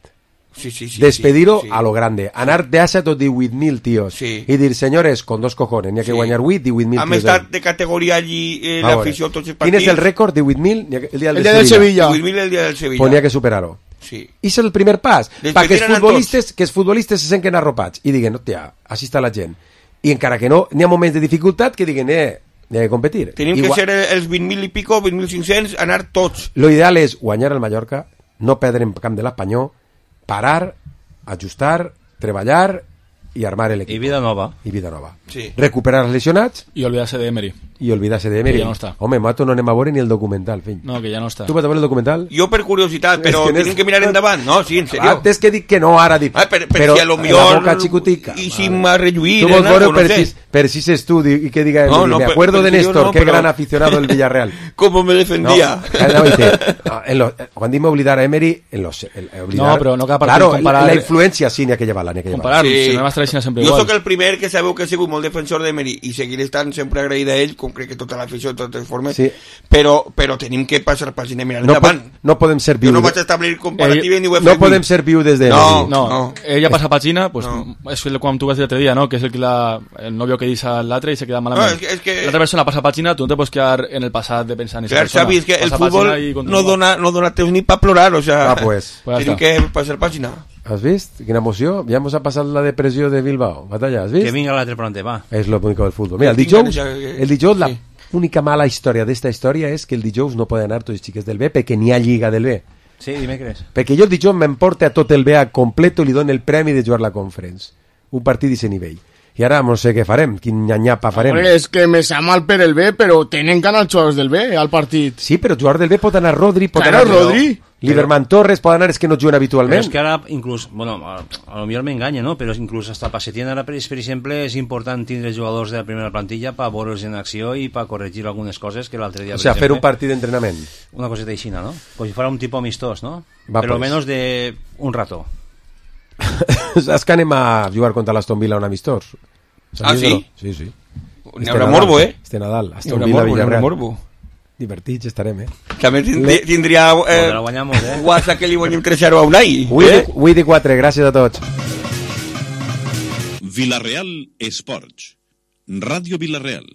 Sí, sí, sí, Despedir-ho sí, sí. a lo grande, anar d'assa tot divuit mil tios Sí. i dir, senyores, con dos cojones, n'hi ha que Sí. guanyar vuit, divuit mil Hem tios. estat de categoria allí, eh, A veure, l'afició, tots els Quin partits. és el rècord? divuit mil? N'hi ha que- El dia del, El dia del Sevilla. divuit mil el dia del Sevilla. Pues n'hi ha que superar-ho. Sí. I és el primer pas, Despedir perquè els a tots. futbolistes, que els futbolistes se senten arropats i diguen, hòstia, així està la gent. I encara que no, n'hi ha moments de dificultat que diguen, eh, n'hi ha que competir. Tenim Igual, que ser els vint mil i pico, vint mil cinc-cents, anar tots. lo ideal és guanyar al Mallorca, no perdre en camp de l'Espanyol, parar, ajustar, treballar i armar l'equip. I vida nova. I vida nova. Sí. Recuperar els lesionats I olvidarse de Emery. i oblidar-se de Emery. Que ja no està. Home, mato, no anem a veure ni el documental, fill. No, que ja no està. Tu vas a veure el documental? Jo per curiositat, però És que tenim n'és- que mirar endavant. No, sí, en Ah, serio. és que dic que no ara, dic, Ah, per, per però si a lo la millor boca xicotica. i si m'ha relluït Tu en vols veure algo, no per, sé. sis, per sis estudi i que diga, No, no, me per- acuerdo per de si yo Néstor, no, qué pero- gran aficionado del Villarreal. ¿Cómo me defendía? No, eh, no, dice, no, en lo, quan dic oblidar a Emery, en los, el, el oblidar, No, però no cada partit claro, comparar- la, la influència sí n'hi ha que llevar-la, n'hi ha que llevar-la. Comparar, si no vas traient sempre Jo igual. sóc el primer que sabeu que he sigut molt defensor d'Emery i seguiré estant sempre agraït a ell, com crec que tota l'afició de totes formes, Sí. però, però tenim que passar pàgina i mirar No, endavant. po no podem ser Jo viudes. no vaig establir comparativa ni ho he fet. No podem ser viudes de No, Emery. No, no. ella passa pàgina, pues és el com tu vas dir l'altre dia, no? Que és el que la, el novio que deixa l'altre i se queda malament. No, és que- és que- L'altra persona passa pàgina, tu no te pots quedar en el passat de pensar en esa Clar, persona. Xavi, és que el Passa futbol pàgina i no continua. dona, no dona temps ni para plorar, o sea, Ah, pues. Pues tenim ja que passar pàgina. ¿Has visto? Quina emoció. Ja hemos pasat la depressió de Bilbao. Batalla, has Que vist? vinga l'altre per on te va. És lo único del futbol. Mira, el Tinc dijous, ganes de- el dijous la sí. única mala història d'esta història és que el dijous no poden anar tots els xiquets del B perquè n'hi ha lliga del B. Sí, dimecres. Perquè jo el dijous m'emporte a tot el B a completo i li dono el premi de jugar la Conference. Un partit d'aquest nivell. I ara no sé què farem, quin nyanyapa farem. Hombre, és que me sa mal per el B, però tenen que anar els jugadors del B al partit. Sí, però jugar del B pot anar Rodri, pot Claro, anar Rodri. Lieberman Torres, pot anar els que no juguen Però habitualment. és que ara, inclús, bueno, a, a lo millor m'enganya, no? Però inclús hasta pa Setién ara, per, per exemple, és important tindre jugadors de la primera plantilla per veure'ls en acció i per corregir algunes coses que l'altre dia... O per sea, fer exemple, un partit d'entrenament. Una coseta aixina, ¿no? Pues si fuera un tipo amistós, ¿no? Va, Pero pues. menos de un rato. Saps que anem a jugar contra l'Aston Villa un amistós? Ah, Sabies sí? o no? Sí, sí. N'hi haurà morbo, eh? Este Nadal, N'hi Aston haurà Villa, morbo, n'hi haurà Villarreal. morbo. Divertits estarem, eh? També tindria, tindria eh, Porque la guanyamos, eh? guasa que li guanyem tres zero a Unai. Avui eh? de quatre, gràcies a tots. Villarreal Esports. Ràdio Villarreal.